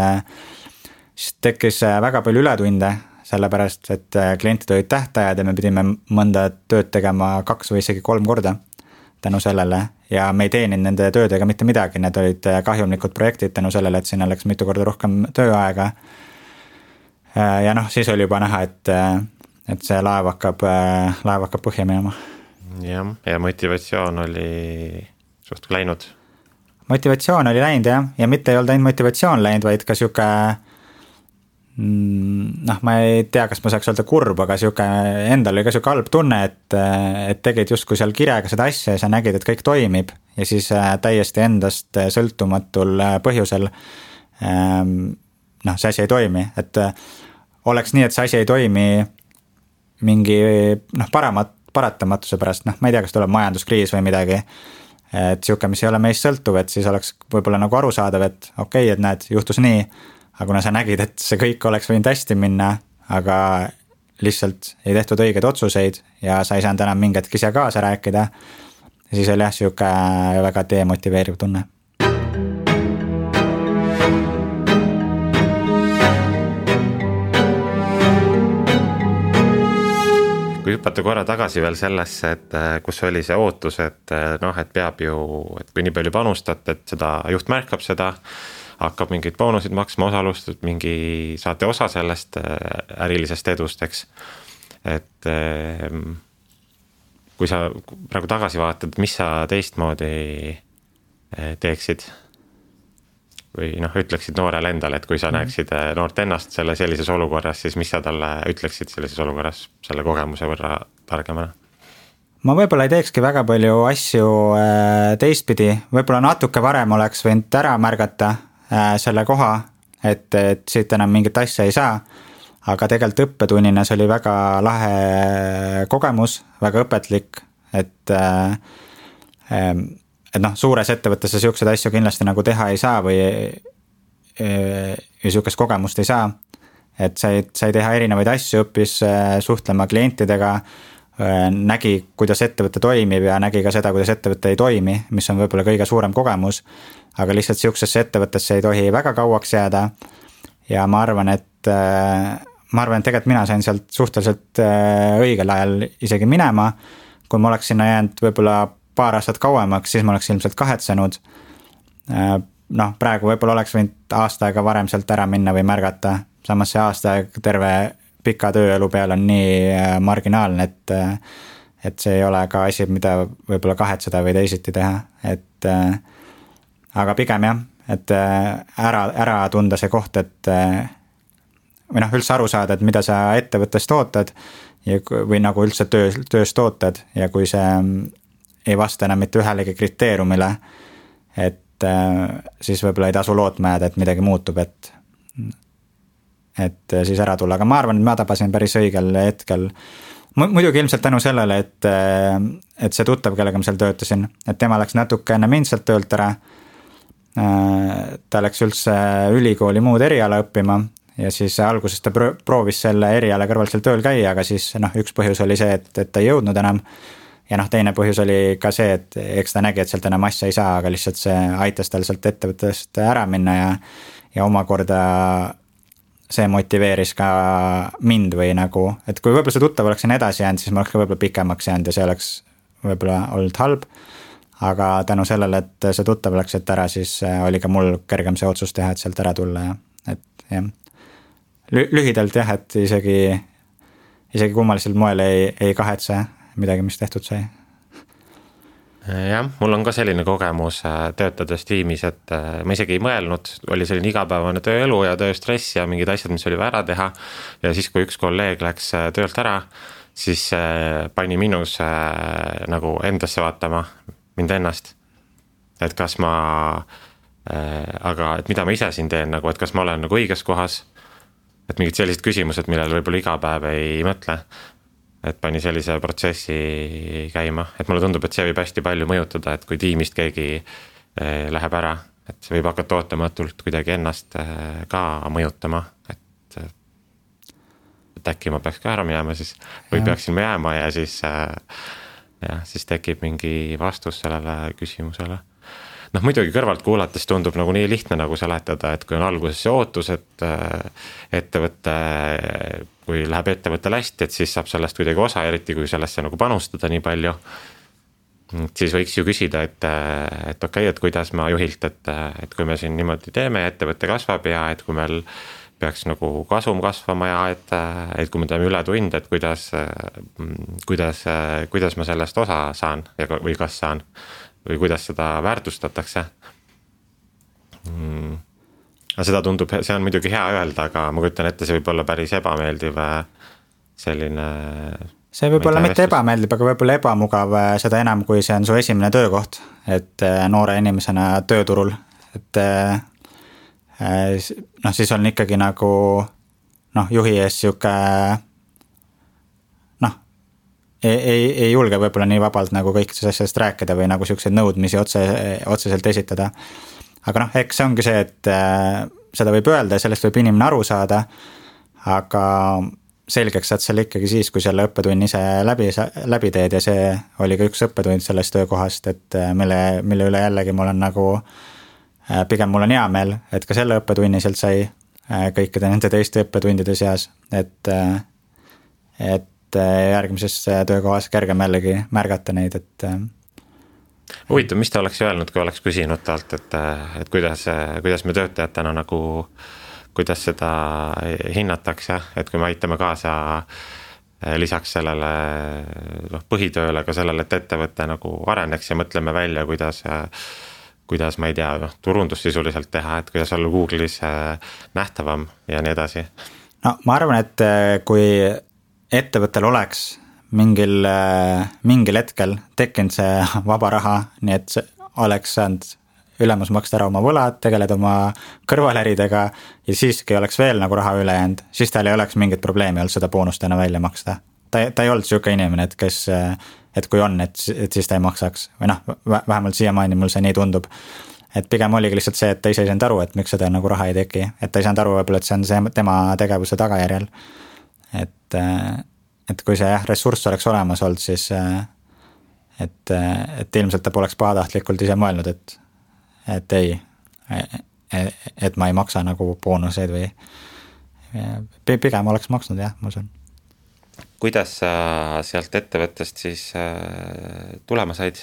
tekkis väga palju ületunde, sellepärast, et klientid olid tähtajad ja me pidime mõnda tööd tegema 2 või isegi 3 korda tänu sellele ja me ei teeninud nende töödega mitte midagi, need olid kahjumlikud projektid tänu sellele, et sinna läks mitu korda rohkem tööaega. Ja noh, siis oli juba näha, et see laev hakkab põhja minema. Ja motivatsioon oli suht läinud? Motivatsioon oli läinud ja mitte ei olnud ainult motivatsioon läinud, vaid ka siuke noh, ma ei tea, kas ma saaks öelda kurb, aga endal oli ka siuke halb tunne, et tegid justkui seal kirega seda asja ja sa nägid, et kõik toimib ja siis täiesti endast sõltumatul põhjusel noh, see asi ei toimi, et oleks nii, et see asi ei toimi mingi noh, paratamatuse pärast, noh, ma ei tea, kas tuleb majanduskriis või midagi, et siuke, mis ei ole meist sõltuv, et siis oleks võib-olla nagu arusaadav, et okei, et näed, juhtus nii, aga kuna sa nägid, et see kõik oleks võinud hästi minna, aga lihtsalt ei tehtud õigeid otsuseid ja sa ei saanud enam mingi hetk ise kaasa rääkida, siis oli jah, siuke väga demotiveeriv tunne. kui hüpata korra tagasi veel sellesse, et kus oli see ootus, et noh, et peab ju, et kui nii palju panustat, et seda juht märkab seda, hakkab mingeid boonusid maksma, osalust, mingi saate osa sellest ärilisest edust, eks. Et kui sa praegu tagasi vaatad, mis sa teistmoodi teeksid või noh, ütleksid noorele endale, et kui sa näeksid noort ennast sellises olukorras, siis mis sa talle ütleksid sellises olukorras selle kogemuse võrra targemana? Ma võib-olla ei teekski väga palju asju teistpidi, võib-olla natuke varem oleks võinud ära märgata selle koha, et siit enam mingit asja ei saa, aga tegelikult õppetunnina see oli väga lahe kogemus, väga õpetlik, et noh, suures ettevõttes siukseid asju kindlasti nagu teha ei saa või siukest kogemust ei saa, et sai teha erinevaid asju, õppis suhtlema klientidega, nägi, kuidas ettevõte toimib ja nägi ka seda, kuidas ettevõte ei toimi, mis on võib-olla kõige suurem kogemus, aga lihtsalt siuksesse ettevõttesse ei tohi väga kauaks jääda ja ma arvan, et tegelikult mina sain sealt suhteliselt õigel ajal isegi minema, kui ma oleks sinna jäänud võib-olla paar aastat kauemaks, siis ma oleks ilmselt kahetsenud. Noh, praegu võib-olla oleks võinud aasta aega varem sealt ära minna või märgata, samas see aasta aeg terve pika tööelu peal on nii marginaalne, et see ei ole ka asi, mida võib-olla kahetseda või teisiti teha, et aga pigem jah, et ära tunda see koht, et või noh, üldse aru saada, et mida sa ettevõttest ootad või nagu üldse tööst ootad ja kui see ei vasta enam mitte ühelegi kriteeriumile, et siis võib-olla ei tasu lootma jääda, et midagi muutub, et siis ära tulla, aga ma arvan, et ma tabasin päris õigel hetkel. Muidugi ilmselt tänu sellele, et see tuttav, kellega ma seal töötasin, et tema läks natuke enne mind sealt töölt ära, ta läks üldse ülikooli muud eriala õppima ja siis alguses ta proovis selle eriala kõrval seal tööl käia, aga siis noh, üks põhjus oli see, et ta ei jõudnud enam ja noh, teine põhjus oli ka see, et eks ta nägi, et sealt enam asja ei saa, aga lihtsalt see aitas tal sealt ettevõttest ära minna ja omakorda see motiveeris ka mind või nagu, et kui võib-olla see tuttav oleks siin edasi jäänud, siis ma oleks ka võib-olla pikemaks jäänud ja see oleks võib-olla olnud halb, aga tänu sellele, et see tuttav läks sealt ära, siis oli ka mul kergem see otsus teha, et sealt ära tulla ja et jah, lühidalt jah, et isegi kummalisel moel ei kahetse midagi, mis tehtud sai. Jah, mul on ka selline kogemus töötades tiimis, et ma isegi ei mõelnud, oli selline igapäevane tööelu ja tööstress ja mingid asjad, mis oli vaja ära teha ja siis, kui üks kolleeg läks töölt ära, siis pani minus nagu endasse vaatama, mind ennast, et kas ma aga et mida ma ise siin teen, nagu, et kas ma olen nagu õiges kohas, et mingid sellised küsimused, millele võib-olla iga päev ei mõtle, et pani sellise protsessi käima, et mulle tundub, et see võib hästi palju mõjutada, et kui tiimist keegi läheb ära, et see võib hakata ootamatult kuidagi ennast ka mõjutama, et äkki ma peaks ka ära minema siis või peaksin ma jääma ja siis tekib mingi vastus sellele küsimusele. Noh, muidugi kõrvalt kuulates tundub nagu nii lihtne nagu seletada, et kui on alguses see ootus, et ettevõtte, kui läheb ettevõttel hästi, et siis saab sellest kuidagi osa, eriti kui sellesse nagu panustada nii palju, siis võiks ju küsida, et okei, et kuidas ma juhilt, et kui me siin niimoodi teeme ja ettevõte kasvab ja et kui meil peaks nagu kasum kasvama ja et kui me teeme ületunde, et kuidas ma sellest osa saan või kas saan või kuidas seda väärtustatakse. Seda tundub, see on muidugi hea öelda, aga ma kujutan ette, see võib olla päris ebameeldiv selline... See võib olla mitte ebameeldiv, aga võib olla ebamugav seda enam, kui see on su esimene töökoht, et noore inimesena tööturul, et noh, siis on ikkagi nagu juhi ees siuke ei julge võib-olla nii vabalt nagu kõikidest asjadest rääkida või nagu siukseid nõudmisi otseselt esitada. Aga eks see ongi see, et seda võib öelda ja sellest võib inimene aru saada, aga selgeks saad selle ikkagi siis, kui selle õppetunni ise läbi teed ja see oli ka üks õppetund sellest töökohast, et mille üle jällegi mul on nagu, pigem mul on hea meel, et ka selle õppetunni sealt sai kõikide nende teiste õppetundide seas, et järgmises töökohas kergem jällegi märgata neid, et huvitav, mis ta oleks öelnud, kui oleks küsinud talt, et kuidas me töötajatena nagu, kuidas seda hinnatakse, et kui me aitame kaasa lisaks sellele põhitööle ka sellele, et ettevõte nagu areneks ja mõtleme välja, kuidas ma ei tea, turundust sisuliselt teha, et kuidas olla Google'is nähtavam ja nii edasi. No ma arvan, et kui ettevõttel oleks mingil hetkel tekkinud see vaba raha, nii et oleks saanud ülemus maksta ära oma võlad, tegeleda oma kõrvaläridega ja siiski oleks veel nagu raha üle jäänud, siis tal ei oleks mingit probleemi olnud seda boonustena välja maksta. Ta ei olnud siuke inimene, et kui on, et siis ta ei maksaks. Või vähemalt siiamaani mul see nii tundub. Et pigem oligi lihtsalt see, et ta ise ei saanud aru, et miks seda nagu raha ei teki. Et ta ei saanud aru võib-olla, et see on see tema tegevuse tagajärjel. Et kui see ressurss oleks olemas olnud, siis et ilmselt ta poleks pahatahtlikult ise mõelnud, et ei, et ma ei maksa nagu boonuseid või pigem oleks maksnud, jah, ma usun. Kuidas sa sealt ettevõttest siis tulema said?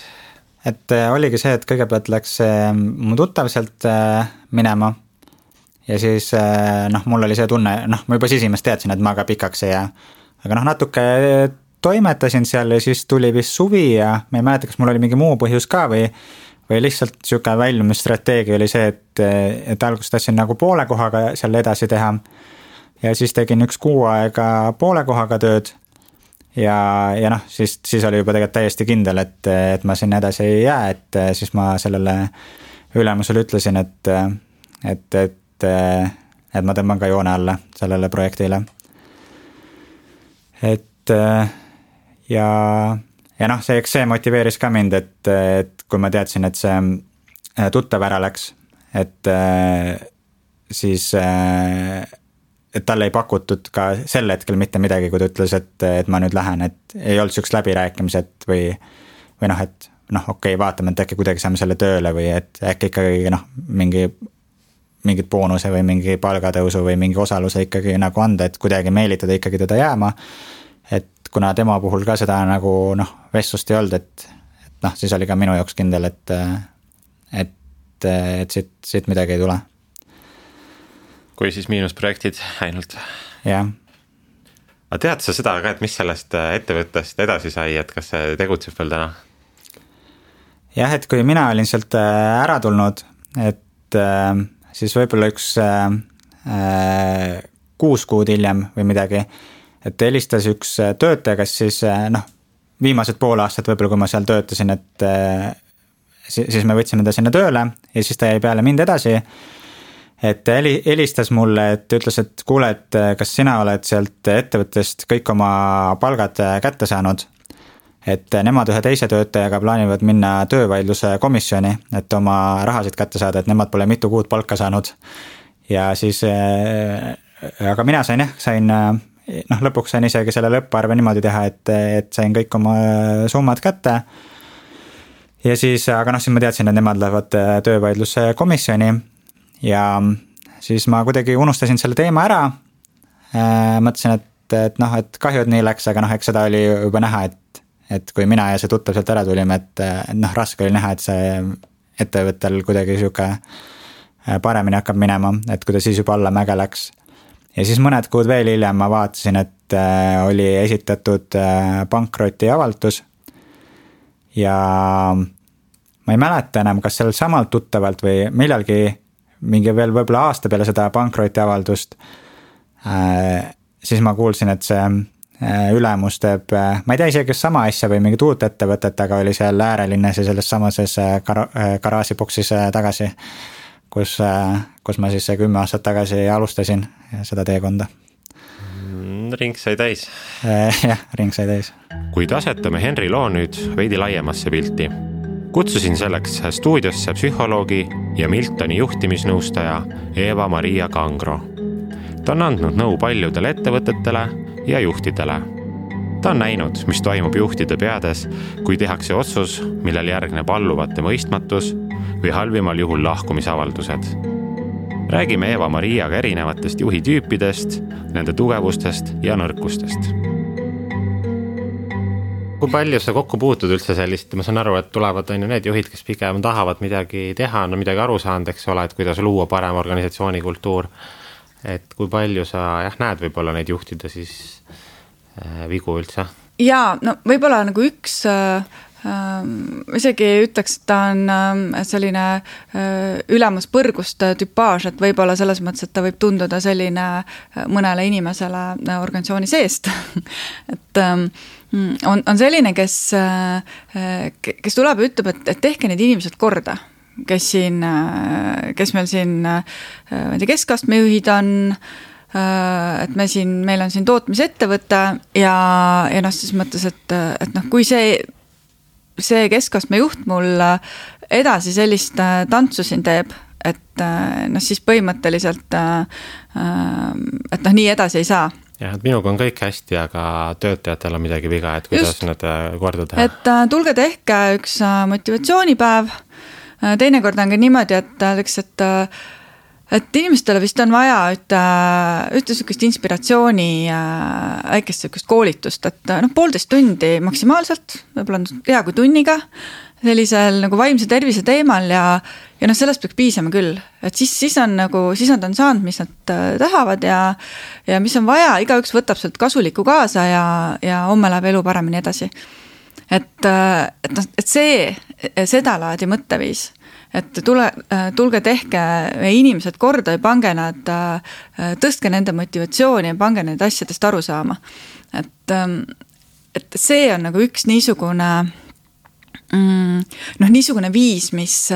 Et oligi see, et kõigepealt läks mu tuttav sealt minema ja siis mul oli see tunne, ma juba esimest teadsin, et ma ka pikaks ei jää. Aga natuke toimetasin seal ja siis tuli vist suvi ja ma ei mäleta, kas mul oli mingi muu põhjus ka või lihtsalt siuke väljumisstrateegia oli see, et alguses tahtsin nagu poole kohaga seal edasi teha ja siis tegin 1 kuu aega poole kohaga tööd ja siis oli juba tegelikult täiesti kindel, et ma sinna edasi ei jää, et siis ma sellele ülemusele ütlesin, et ma tõmban ka joone alla sellele projektile. Ja see motiveeris ka mind, et kui ma teadsin, et see tuttav ära läks, et siis et talle ei pakutud ka sel hetkel mitte midagi, kui ta ütles, et ma nüüd lähen, et ei olnud sükst läbirääkimised või et okei, vaatame, et äkki kuidagi saame selle tööle või et äkki ikkagi mingit boonuse või mingi palgatõusu või mingi osaluse ikkagi nagu anda, et kuidagi meelitada ikkagi teda jääma. Et kuna tema puhul ka seda nagu vestlust ei olnud, et siis oli ka minu jaoks kindel, et siit midagi ei tule. Kui siis miinusprojektid ainult. Jah. Aga tead sa seda ka, et mis sellest ettevõttest edasi sai, et kas see tegutseb veel täna? Jah, et kui mina olin sealt ära tulnud, et siis võib-olla 6 kuud hiljem või midagi, et helistas üks töötaja, kes siis viimased pool aastat võib-olla, kui ma seal töötasin, et siis me võtsime ta sinna tööle ja siis ta jäi peale mind edasi, et helistas mulle, et ütles, et kuule, et kas sina oled sealt ettevõttest kõik oma palgad kätte saanud, et nemad ühe teise töötajaga plaanivad minna töövaidluse komisjoni, et oma rahasid kätte saada, et nemad pole mitu kuud palka saanud ja siis aga mina sain lõpuks sain isegi selle lõpparve niimoodi teha, et sain kõik oma summad kätte ja siis, aga siis ma teadsin, et nemad lähevad töövaidluse komisjoni ja siis ma kuidagi unustasin selle teema ära, mõtlesin, et kahju, et nii läks, aga eks seda oli juba näha, et kui mina ja see tuttav sealt ära tulime, et raske oli näha, et see ettevõttel kuidagi siuke paremini hakkab minema, et kui ta siis juba alla mäge läks. Ja siis mõned kuud veel hiljem ma vaatasin, et oli esitatud pankroti avaldus ja ma ei mäleta enam, kas sellel samalt tuttavalt või millalgi mingi veel võib-olla aasta peale seda pankroti avaldust, siis ma kuulsin, et see ülemus teeb, ma ei tea isegi sama asja või mingit uut ettevõtet, aga oli seal äärelinnas ja selles samases garaažiboksis tagasi, kus ma siis 10 aastat tagasi alustasin seda teekonda. Ring sai täis. Jah, ring sai täis. Kuid asetame Henri loo nüüd veidi laiemasse pilti. Kutsusin selleks stuudiosse psühholoogi ja Miltoni juhtimisnõustaja Eva-Maria Kangro. Ta on andnud nõu paljudele ettevõtetele ja juhtidele. Ta on näinud, mis toimub juhtide peades, kui tehakse otsus, millel järgneb alluvate mõistmatus või halvimal juhul lahkumisavaldused. Räägime Eva-Mariaga erinevatest juhitüüpidest, nende tugevustest ja nõrkustest. Kui palju sa kokku puutud üldse sellist, ma saan aru, et tulevad on ju need juhid, kes pigem tahavad midagi teha, no midagi aru saanud, eks ole, et kuidas luua parem organisatsioonikultuur, et kui palju sa näed võib-olla neid juhtida siis vigu üldse? Jaa, no võib-olla nagu üks isegi ütleks, et ta on selline ülemuspõrgust tüpaaž, et võib-olla selles mõttes, et ta võib tunduda selline mõnele inimesele organisatsiooni seest. Et on selline, kes tuleb ja ütleb, et tehke need inimesed korda, kes meil siin keskastme juhid on, et meil on siin tootmisettevõte ja siis mõttes, et kui see keskastme juht mul edasi sellist tantsu siin teeb, et siis põhimõtteliselt, et nii edasi ei saa. Jah, et minuga on kõik hästi, aga töötajatel on midagi viga, et kuidas nad korda teha. Et tulge tehke üks motivatsioonipäev, teinekord on ka niimoodi, et inimestele vist on vaja ühte sükest inspiratsiooni, väikest sükest koolitust, et 1,5 tundi maksimaalselt, võib-olla on hea kui tunniga, sellisel nagu vaimse tervise teemal ja sellest peaks piisama küll, et siis nad on saanud, mis nad tahavad ja mis on vaja, igaüks võtab sealt kasulikku kaasa ja homme läheb elu paremini edasi. Et seda laadi mõtteviis, et tulge tehke inimesed korda ja pange nad, tõstke nende motivatsiooni ja pange need asjadest aru saama. Et see on nagu üks niisugune viis, mis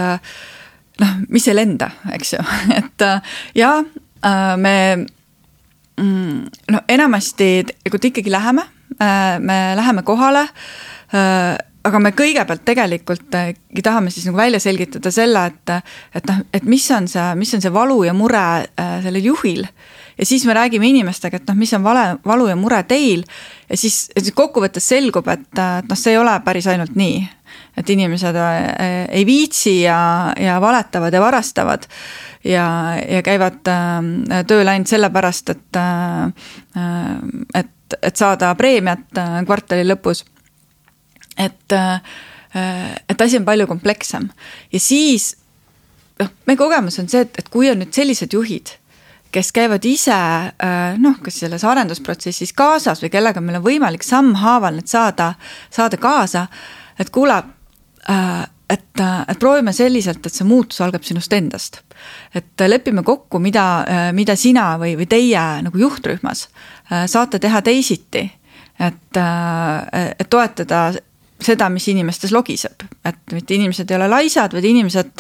ei lenda, eks ju. Et me enamasti ikkagi läheme, me läheme kohale, aga me kõigepealt tegelikult tahame siis nagu välja selgitada selle, et mis on see valu ja mure sellel juhil. Ja siis me räägime inimestega, et mis on valu ja mure teil. Ja siis kokkuvõttes selgub, et see ei ole päris ainult nii. Et inimesed ei viitsi ja valetavad ja varastavad ja käivad tööl ainult sellepärast, et saada preemiat kvartali lõpus. Et asi on palju komplekssem. Ja siis meie kogemus on see, et kui on nüüd sellised juhid, kes käivad ise kas selles arendusprotsessis kaasas või kellega meil on võimalik sammhaaval need saada kaasa, et kuule, et proovime selliselt, et see muutus algab sinust endast. Et lepime kokku, mida sina või teie nagu juhtrühmas saate teha teisiti, et toetada seda, mis inimestes logiseb. Et mitte inimesed ei ole laisad, vaid inimesed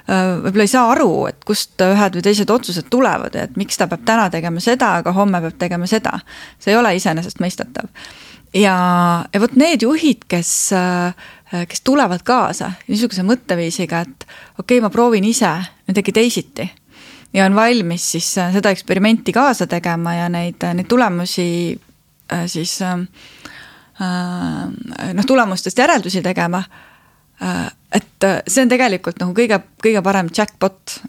võib-olla ei saa aru, et kust ühed või teised otsused tulevad, et miks ta peab täna tegema seda, aga homme peab tegema seda. See ei ole iseenesest mõistatav. Ja võt need juhid, kes tulevad kaasa niisuguse mõtteviisiga, et okei, ma proovin ise midagi teisiti ja on valmis siis seda eksperimenti kaasa tegema ja neid tulemusi siis tulemustest järeldusi tegema, et see on tegelikult nagu kõige parem jackpot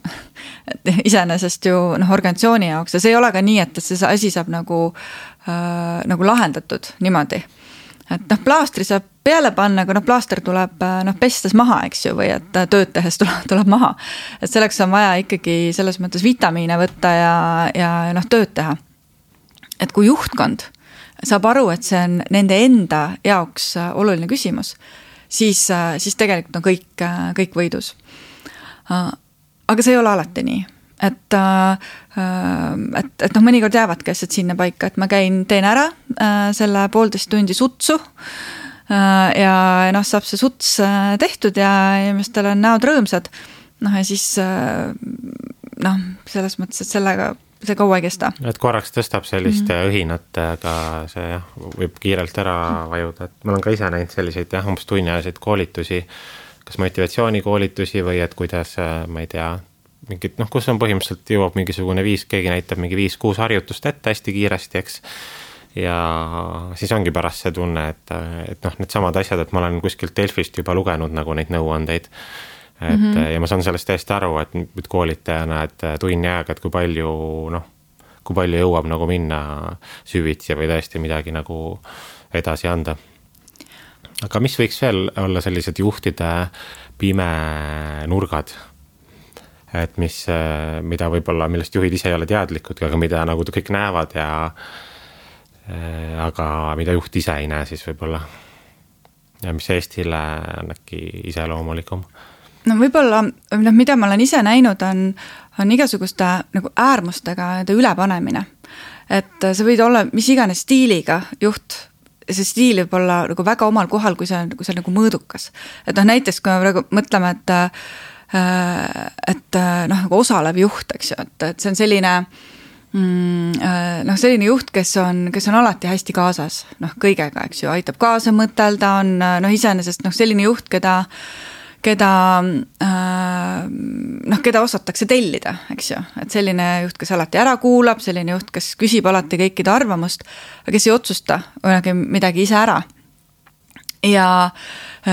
iseenesest ju organisatsiooni jaoks ja see ei ole ka nii, et see asi saab nagu lahendatud niimoodi. Et plaastri saab peale panna, aga plaaster tuleb pestes maha, eks ju, või et tööd tehes tuleb maha. Et selleks on vaja ikkagi selles mõttes vitamiine võtta ja tööd teha. Et kui juhtkond saab aru, et see on nende enda jaoks oluline küsimus, siis tegelikult on kõik võidus. Aga see ei ole alati nii. Et mõnikord jäävadki asjad sinna paika, et ma teen ära selle 1,5 tundi sutsu ja saab see suts tehtud ja inimestel on näod rõõmsad. Ja siis selles mõttes, et sellega see kaua ei kesta. Et korraks tõstab sellist õhinat, aga see võib kiirelt ära vajuda. Et ma olen ka ise näinud selliseid umbes tunniajaseid koolitusi, kas motivatsioonikoolitusi või et kuidas, ma ei tea, mingid, kus on põhimõtteliselt jõuab mingisugune keegi näitab mingi 5-6 harjutust ette hästi kiiresti, eks. Ja siis ongi pärast see tunne, et need samad asjad, et ma olen kuskilt Delfist juba lugenud nagu neid nõuandeid. Ja ma saan sellest täiesti aru, et koolitajana, et tunni aega, et kui palju jõuab nagu minna süvitsi või tõesti midagi nagu edasi anda. aga mis võiks veel olla sellised juhtide pimenurgad, et mida võib-olla, millest juhid ise ei ole teadlikud, aga mida nagu kõik näevad aga mida juht ise ei näe siis võib-olla ja mis Eestile on äkki iseloomulikum? No võib-olla, mida ma olen ise näinud, on igasuguste nagu äärmustega ülepanemine. Et see võid olla mis iganes stiiliga juht, see stiil võib olla nagu väga omal kohal, kui see on nagu mõõdukas. Et näiteks, kui me praegu mõtleme, et nagu osalev juht, eks ju, et see on selline selline juht, kes on alati hästi kaasas, kõigega, eks ju, aitab kaasa mõtelda, on iseenesest selline juht, keda osatakse tellida, eks ju, et selline juht, kes alati ära kuulab, selline juht, kes küsib alati kõikide arvamust, aga kes ei otsusta midagi ise ära ja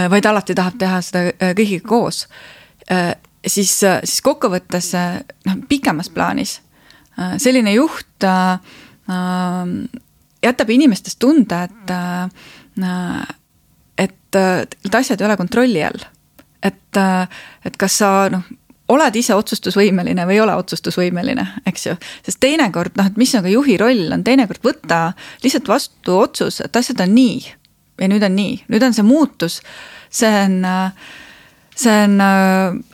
vaid alati tahab teha seda kõigiga koos, siis kokkuvõttes pikemas plaanis selline juht jätab inimestest tunde, et asjad ei ole kontrolli all. Et kas sa oled ise otsustusvõimeline või ei ole otsustusvõimeline, eks ju. Sest teinekord, et mis on ka juhi roll, on teinekord võtta lihtsalt vastu otsus, et asjad on nii ja nüüd on nii. Nüüd on see muutus, see on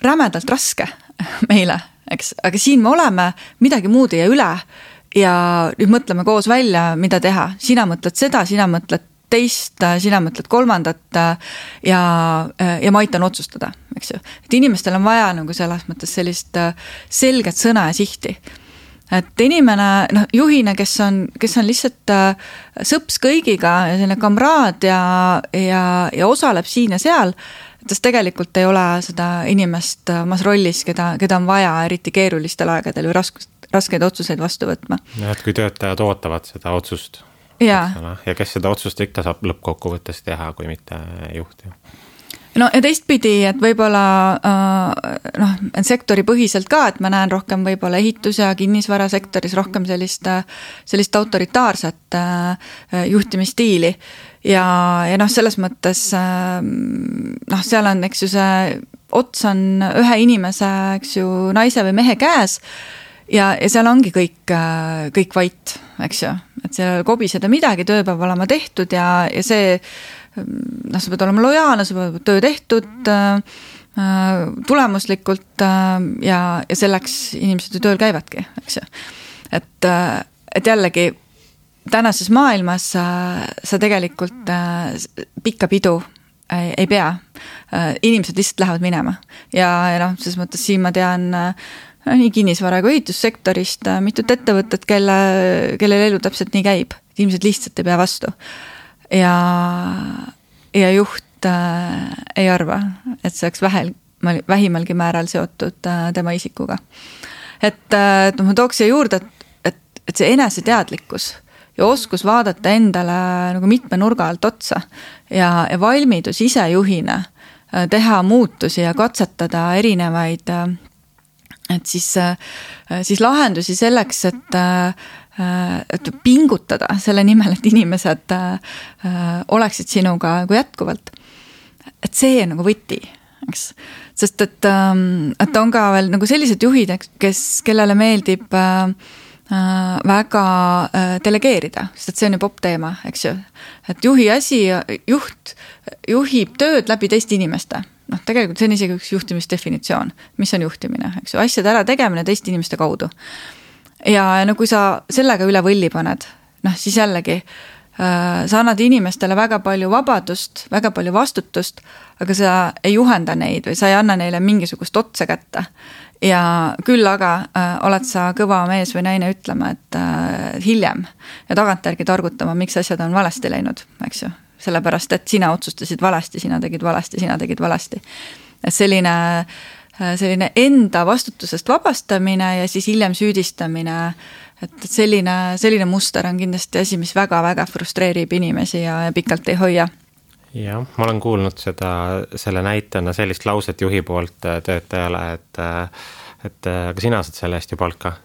rämedalt raske meile, eks, aga siin me oleme, midagi muud ei jää üle ja nüüd mõtleme koos välja, mida teha. Sina mõtled seda, sina mõtled teist, sina mõtled kolmandat ja ma aitan otsustada, eks ju. Et inimestel on vaja nagu selles mõttes sellist selget sõna ja sihti. Et inimene, juhina, kes on lihtsalt sõps kõigiga ja selline kamraad ja osaleb siin ja seal, et tegelikult ei ole seda inimest omas rollis, keda on vaja eriti keerulistel aegadel või raskeid otsuseid vastu võtma. Ja et kui töötajad ootavad seda otsust ja kes seda otsust ikka saab lõppkokkuvõttes teha, kui mitte juht. No ja teistpidi, et võib-olla sektori põhiselt ka, et ma näen rohkem võib-olla ehitus- ja kinnisvarasektoris rohkem sellist autoritaarset juhtimisstiili ja selles mõttes seal on, eks ju, see ots on ühe inimese, eks ju, naise või mehe käes ja seal ongi kõik vait, eks ju, et seal kobiseda midagi, töö peab olema tehtud ja see sa pead olema lojaalne, sa pead töö tehtud tulemuslikult ja selleks inimesed ju tööl käivadki, eks ju. Et jällegi tänases maailmas sa tegelikult pikka pidu ei pea. Inimesed lihtsalt lähevad minema ja selles mõttes siin ma tean nii kinnisvara kui ehitussektorist mitut ettevõtet, kellel elu täpselt nii käib. Inimesed lihtsalt ei pea vastu. Ja juht ei arva, et see oleks vähimalgi määral seotud tema isikuga. Et ma tooks siia juurde, et see eneseteadlikkus ja oskus vaadata endale nagu mitme nurga alt otsa ja valmidus ise juhina teha muutusi ja katsetada erinevaid et siis lahendusi selleks, et pingutada selle nimel, et inimesed oleksid sinuga nagu jätkuvalt. Et see on nagu võti, eks? Sest et on ka veel nagu sellised juhid, kellele meeldib väga delegeerida, sest et see on ju popp teema, eks ju. Et juht juhib tööd läbi teiste inimeste. Tegelikult see on isegi üks juhtimisdefinitsioon, mis on juhtimine, eks ju, asjade ära tegemine teiste inimeste kaudu. Ja kui sa sellega üle võlli paned, siis jällegi sa annad inimestele väga palju vabadust, väga palju vastutust, aga sa ei juhenda neid või sa ei anna neile mingisugust otsa kätte. Ja küll aga oled sa kõva mees või naine ütlema, et hiljem ja tagantjärgi targutama, miks asjad on valesti läinud, eks ju. Sellepärast, et sina otsustasid valesti, sina tegid valesti. Selline enda vastutusest vabastamine ja siis hiljem süüdistamine, et selline muster on kindlasti asi, mis väga-väga frustreerib inimesi ja pikalt ei hoia. Jah, ma olen kuulnud selle näitena sellist lauset juhi poolt töötajale, et aga sina saad selle eest ju palka.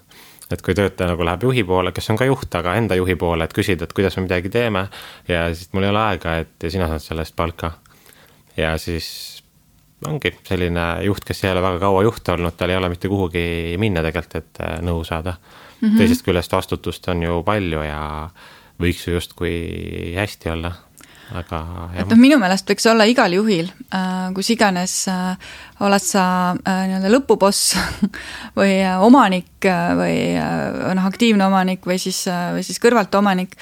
et kui töötaja nagu läheb juhi poole, kes on ka juht, aga enda juhi poole, et küsida, et kuidas me midagi teeme ja siis mul ei ole aega, et sina saad sellest palka. Ja siis ongi selline juht, kes ei ole väga kaua juht olnud, tal ei ole mitte kuhugi minna tegelikult, et nõu saada. Teisest küljest vastutust on ju palju ja võiks ju just kui hästi olla. Aga, et minu meelest võiks olla igal juhil, kus iganes oled sa lõpuboss või omanik või aktiivne omanik või siis kõrvalt omanik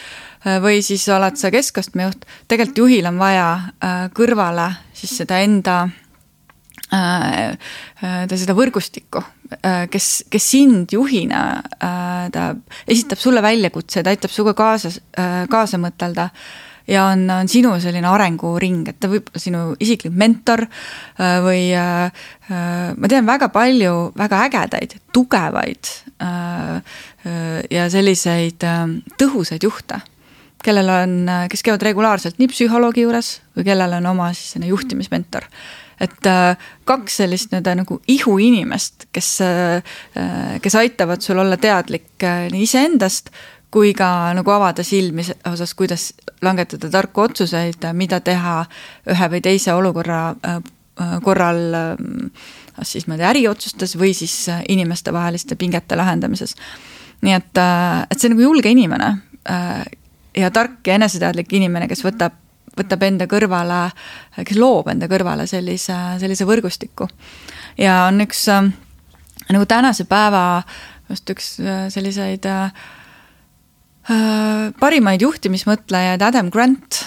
või siis oled sa keskastmejuht. Tegelikult juhil on vaja kõrvale siis seda enda seda võrgustikku, kes sind juhina ta esitab sulle väljakutse, ta aitab suga kaasa mõtelda ja on sinu selline arenguring, et ta võib sinu isiklik mentor või ma tean väga palju väga ägedaid, tugevaid ja selliseid tõhusaid juhte, kes käivad regulaarselt nii psühholoogi juures või kellel on oma siis juhtimismentor. Et kaks sellist nagu ihu inimest, kes aitavad sul olla teadlik nii iseendast, kui ka nagu avada silmi osas, kuidas langetada tarku otsuseid, mida teha ühe või teise olukorra korral siis äriotsustes või siis inimeste vaheliste pingete lahendamises. Nii et see nagu julge inimene ja tark ja eneseteadlik inimene, kes võtab enda kõrvale, kes loob enda kõrvale sellise võrgustiku. Ja on üks nagu tänase päeva just üks selliseid parimaid juhtimismõtlejaid Adam Grant,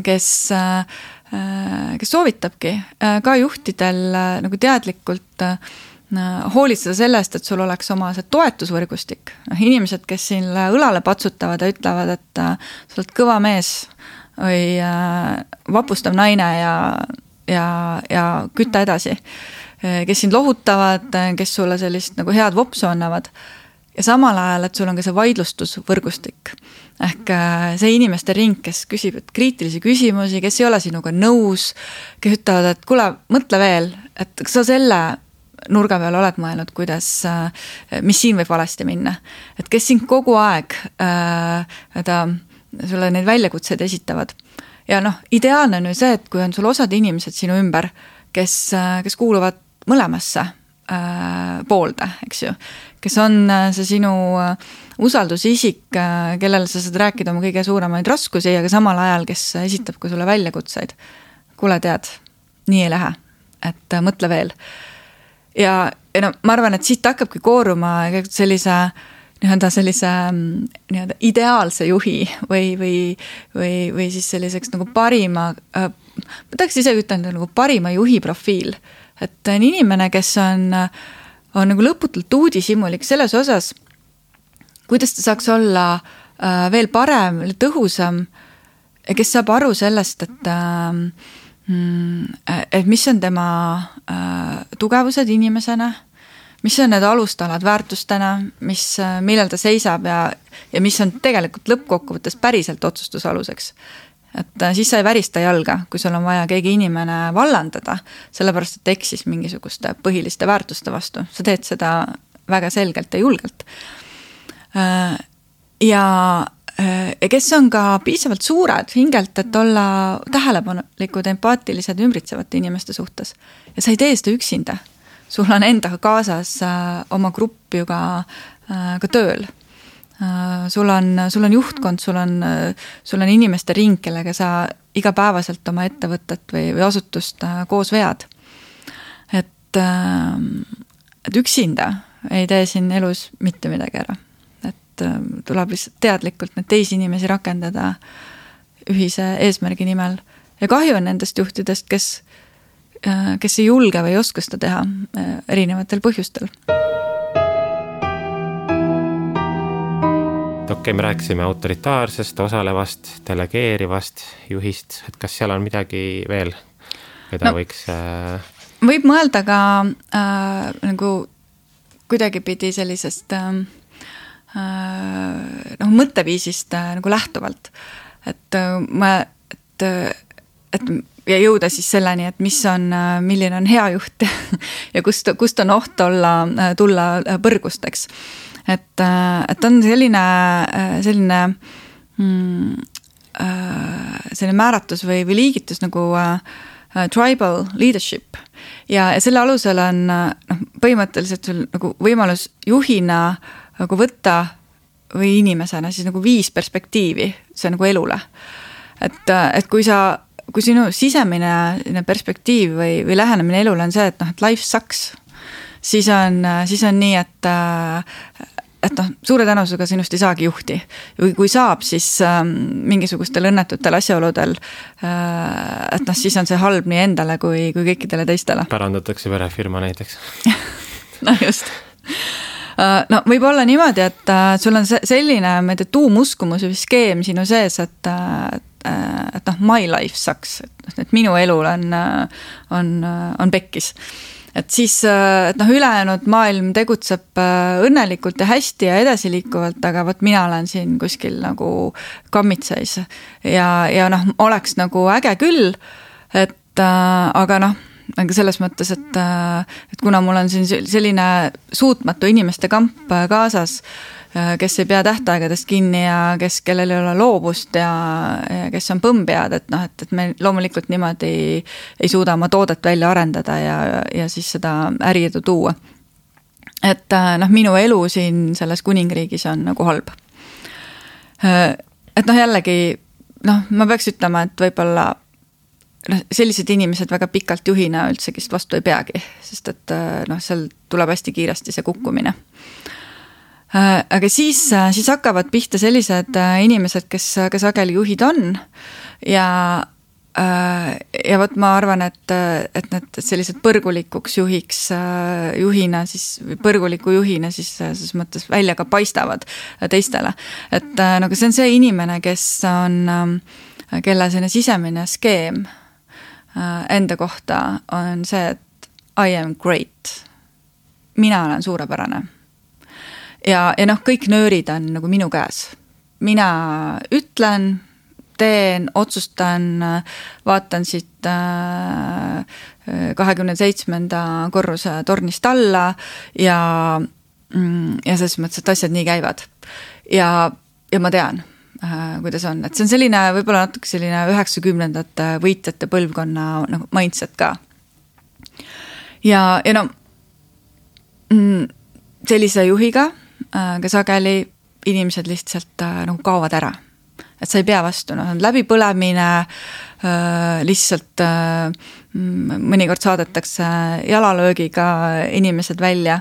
kes soovitabki ka juhtidel nagu teadlikult hoolitseda sellest, et sul oleks oma see toetusvõrgustik. Inimesed, kes siin õlale patsutavad ja ütlevad, et sa oled kõva mees või vapustav naine ja kütta edasi, kes sind lohutavad, kes sulle sellist nagu head vopsu annavad. Ja samal ajal, et sul on ka see vaidlustusvõrgustik. Ehk see inimeste ring, kes küsib kriitilisi küsimusi, kes ei ole sinuga nõus, kes ütlevad, et kuule, mõtle veel, et kas sa selle nurga peal oled mõelnud, mis siin võib valesti minna. Et kes siin kogu aeg sulle neid väljakutseid esitavad. Ja ideaalne on ju see, et kui on sul osad inimesed sinu ümber, kes kuuluvad mõlemasse poolde, eks ju, kes on see sinu usaldusisik, kellele sa saad rääkida oma kõige suuremaid raskusi, aga samal ajal, kes esitab ka sulle väljakutseid. Kuule tead, nii ei lähe, et mõtle veel. Ja ma arvan, et siit hakkabki kooruma sellise ideaalse juhi või siis selliseks nagu parima, ma tahaks ise ütelda nagu parima juhi profiil. Et on inimene, kes on nagu lõputult uudishimulik selles osas, kuidas ta saaks olla veel parem, tõhusam ja kes saab aru sellest, et mis on tema tugevused inimesena, mis on need alustalad väärtustena, millel ta seisab ja mis on tegelikult lõppkokkuvõttes päriselt otsustusaluseks. Et siis sa ei värista jalga, kui sul on vaja keegi inimene vallandada, sellepärast, et eksis mingisuguste põhiliste väärtuste vastu. Sa teed seda väga selgelt ja julgelt. Ja kes on ka piisavalt suured hingelt, et olla tähelepanelikud, empaatilised ümbritsevate inimeste suhtes. Ja sa ei tee seda üksinda. Sul on endaga kaasas oma grupp ju ka tööl. Sul on juhtkond, sul on inimeste ring, kellega sa igapäevaselt oma ettevõtet või asutust koos vead. Et üksinda ei tee siin elus mitte midagi ära. Et tuleb lihtsalt teadlikult need teisi inimesi rakendada ühise eesmärgi nimel. Ja kahju on nendest juhtidest, kes ei julge või ei oska seda teha erinevatel põhjustel. Okei, me rääkisime autoritaarsest, osalevast, delegeerivast juhist, et kas seal on midagi veel, keda võiks... Võib mõelda ka nagu kuidagi pidi sellisest mõtteviisist nagu lähtuvalt, et ja jõuda siis selleni, et milline on hea juht ja kust on oht tulla põrgusteks. et on selline määratus või liigitus nagu tribal leadership ja selle alusel on põhimõtteliselt sul nagu võimalus juhina nagu võtta või inimesena siis nagu 5 perspektiivi, see nagu elule. Et kui sinu sisemine perspektiiv või lähenemine elule on see, et life sucks, siis on nii, et suure tõenäosusega sinust ei saagi juhti. Või kui saab, siis mingisugustel õnnetutel asjaoludel, et siis on see halb nii endale kui kõikidele teistele. Pärandatakse perefirma näiteks. No just. No võib olla niimoodi, et sul on selline tuumuskumus või skeem sinu sees, et my life sucks, et minu elul on pekkis. Et siis ülejäänud maailm tegutseb õnnelikult ja hästi ja edasiliikuvalt, aga võt mina olen siin kuskil nagu kammitseis ja oleks nagu äge küll, aga selles mõttes, et kuna mul on siin selline suutmatu inimeste kamp kaasas, kes ei pea tähtaegadest kinni ja kellel ei ole loovust ja kes on põmpead, et me loomulikult niimoodi ei suuda oma toodet välja arendada ja siis seda äriedu tuua. Et minu elu siin selles kuningriigis on nagu halb. Et jällegi, ma peaks ütlema, et võib-olla sellised inimesed väga pikalt juhina üldsegist vastu ei peagi, sest et seal tuleb hästi kiiresti see kukkumine. Aga siis hakkavad pihta sellised inimesed, kes sageli juhid on ja võt ma arvan, et need sellised põrgulikuks juhina siis selles mõttes välja ka paistavad teistele. Et nagu see on see inimene, kelle selline sisemine skeem enda kohta on see, et I am great. Mina olen suurepärane. Ja kõik nöörid on nagu minu käes. Mina ütlen, teen, otsustan, vaatan siit 27. korruse tornist alla ja selles mõttes, et asjad nii käivad. Ja ma tean, kuidas on. Et see on selline, võib-olla natuke selline 90ndate võitjate põlvkonna mindset ka. Ja sellise juhiga, ka sageli inimesed lihtsalt nagu kaovad ära. Et sa ei pea vastu, on läbipõlemine, lihtsalt mõnikord saadetakse jalalöögiga inimesed välja,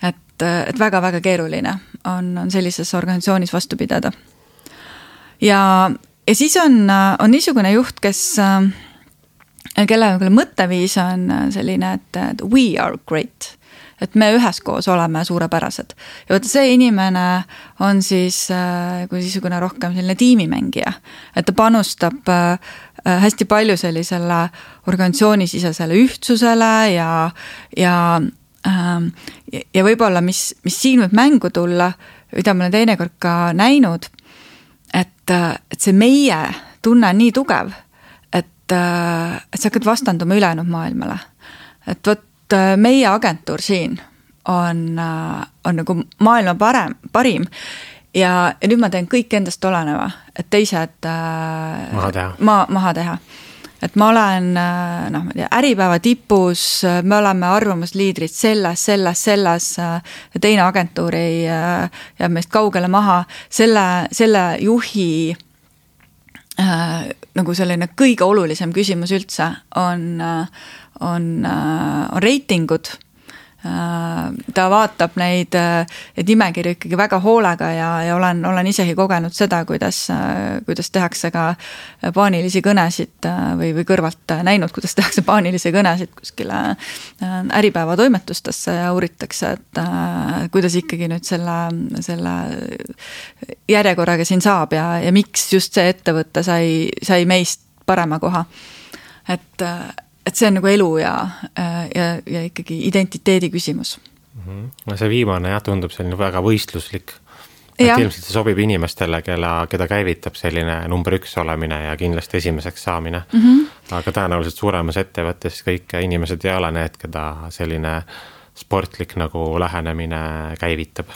et väga-väga keeruline on sellises organisatsioonis vastu pidada. Ja siis on niisugune juht, kelle mõtteviis on selline, et we are great. Et me üheskoos oleme suurepärased. Ja võtta see inimene on siis kui niisugune rohkem selline tiimimängija. Et ta panustab hästi palju sellisele organisatsioonisisesele ühtsusele ja võib-olla, mis siin võib mängu tulla, mida ma olen teinekord ka näinud, et see meie tunne on nii tugev, et sa hakkad vastanduma ülejäänud maailmale. Et võt meie agentuur siin on nagu maailma parim ja nüüd ma teen kõik endast oleneva, et teised maha teha. Et ma olen äripäeva tipus, me oleme arvamusliidrid selles ja teine agentuur jääb meist kaugele maha. Selle juhi nagu selline kõige olulisem küsimus üldse on reitingud. Ta vaatab neid nimekirju ikkagi väga hoolega ja olen isegi kogenud seda, kuidas tehakse ka paanilisi kõnesid või kõrvalt näinud, kuidas tehakse paanilisi kõnesid kuskile äripäeva toimetustesse ja uuritakse, et kuidas ikkagi nüüd selle järjekorraga siin saab ja miks just see ettevõte sai meist parema koha. Et see on nagu elu ja ikkagi identiteedi küsimus. See viimane tundub selline väga võistluslik. Et ilmselt see sobib inimestele, keda käivitab selline number 1 olemine ja kindlasti esimeseks saamine. Aga tõenäoliselt suuremas ettevõttes kõik inimesed ei ole need, keda selline sportlik nagu lähenemine käivitab.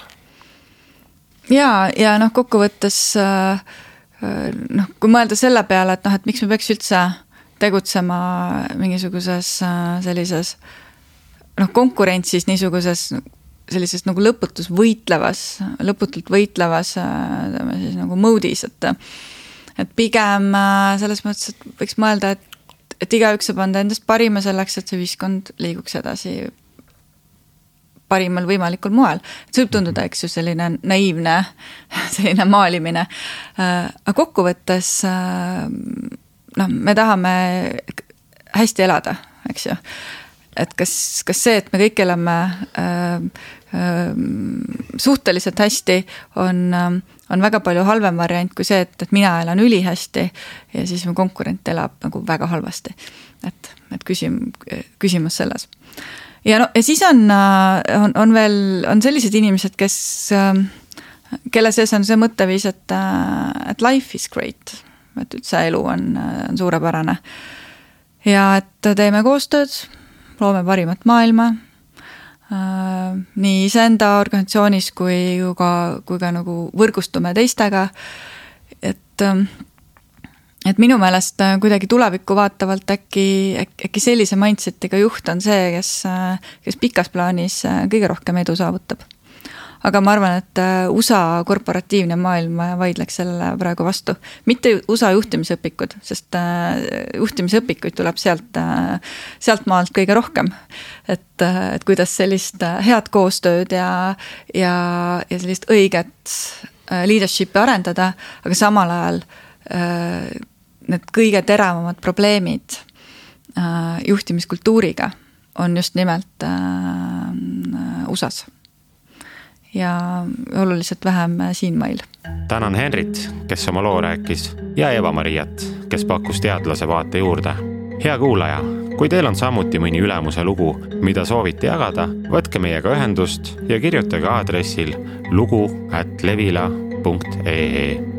ja noh, kokkuvõttes noh, kui mõelda selle peale, et miks me peaks üldse tegutsema mingisuguses sellises konkurentsis, niisuguses sellises nagu lõputult võitlevas siis nagu moodis, et pigem selles mõttes, et võiks mõelda, et igaüks saab anda endast parima selleks, et see ühiskond liiguks edasi parimal võimalikul moel. See võib tunduda, eks ju, selline naiivne, selline maalimine. Aga kokkuvõttes me tahame hästi elada, eks ju. Et kas see, et me kõik elame suhteliselt hästi, on väga palju halvem variant kui see, et mina elan ülihästi ja siis mu konkurent elab nagu väga halvasti. Et küsimus selles. Ja siis on sellised inimesed, kelle sees on see mõtteviis, et life is great, et üldse elu on suurepärane ja et teeme koostööd, loome parimat maailma nii iseenda organisatsioonis kui ka nagu võrgustume teistega, et minu meelest kuidagi tulevikku vaatavalt äkki sellise mindsetiga juht on see, kes pikas plaanis kõige rohkem edu saavutab. Aga ma arvan, et USA korporatiivne maailm vaidleks sellele praegu vastu. Mitte USA juhtimisõpikud, sest juhtimisõpikuid tuleb sealt maalt kõige rohkem. Et kuidas sellist head koostööd ja sellist õiget leadership'i arendada, aga samal ajal need kõige teravamad probleemid juhtimiskultuuriga on just nimelt USAs ja oluliselt vähem siinmail. Tänan Henrit, kes oma loo rääkis, ja Eva-Mariat, kes pakkus teadlase vaate juurde. Hea kuulaja, kui teil on samuti mõni ülemuse lugu, mida soovite jagada, võtke meiega ühendust ja kirjutage aadressil lugu@levila.ee.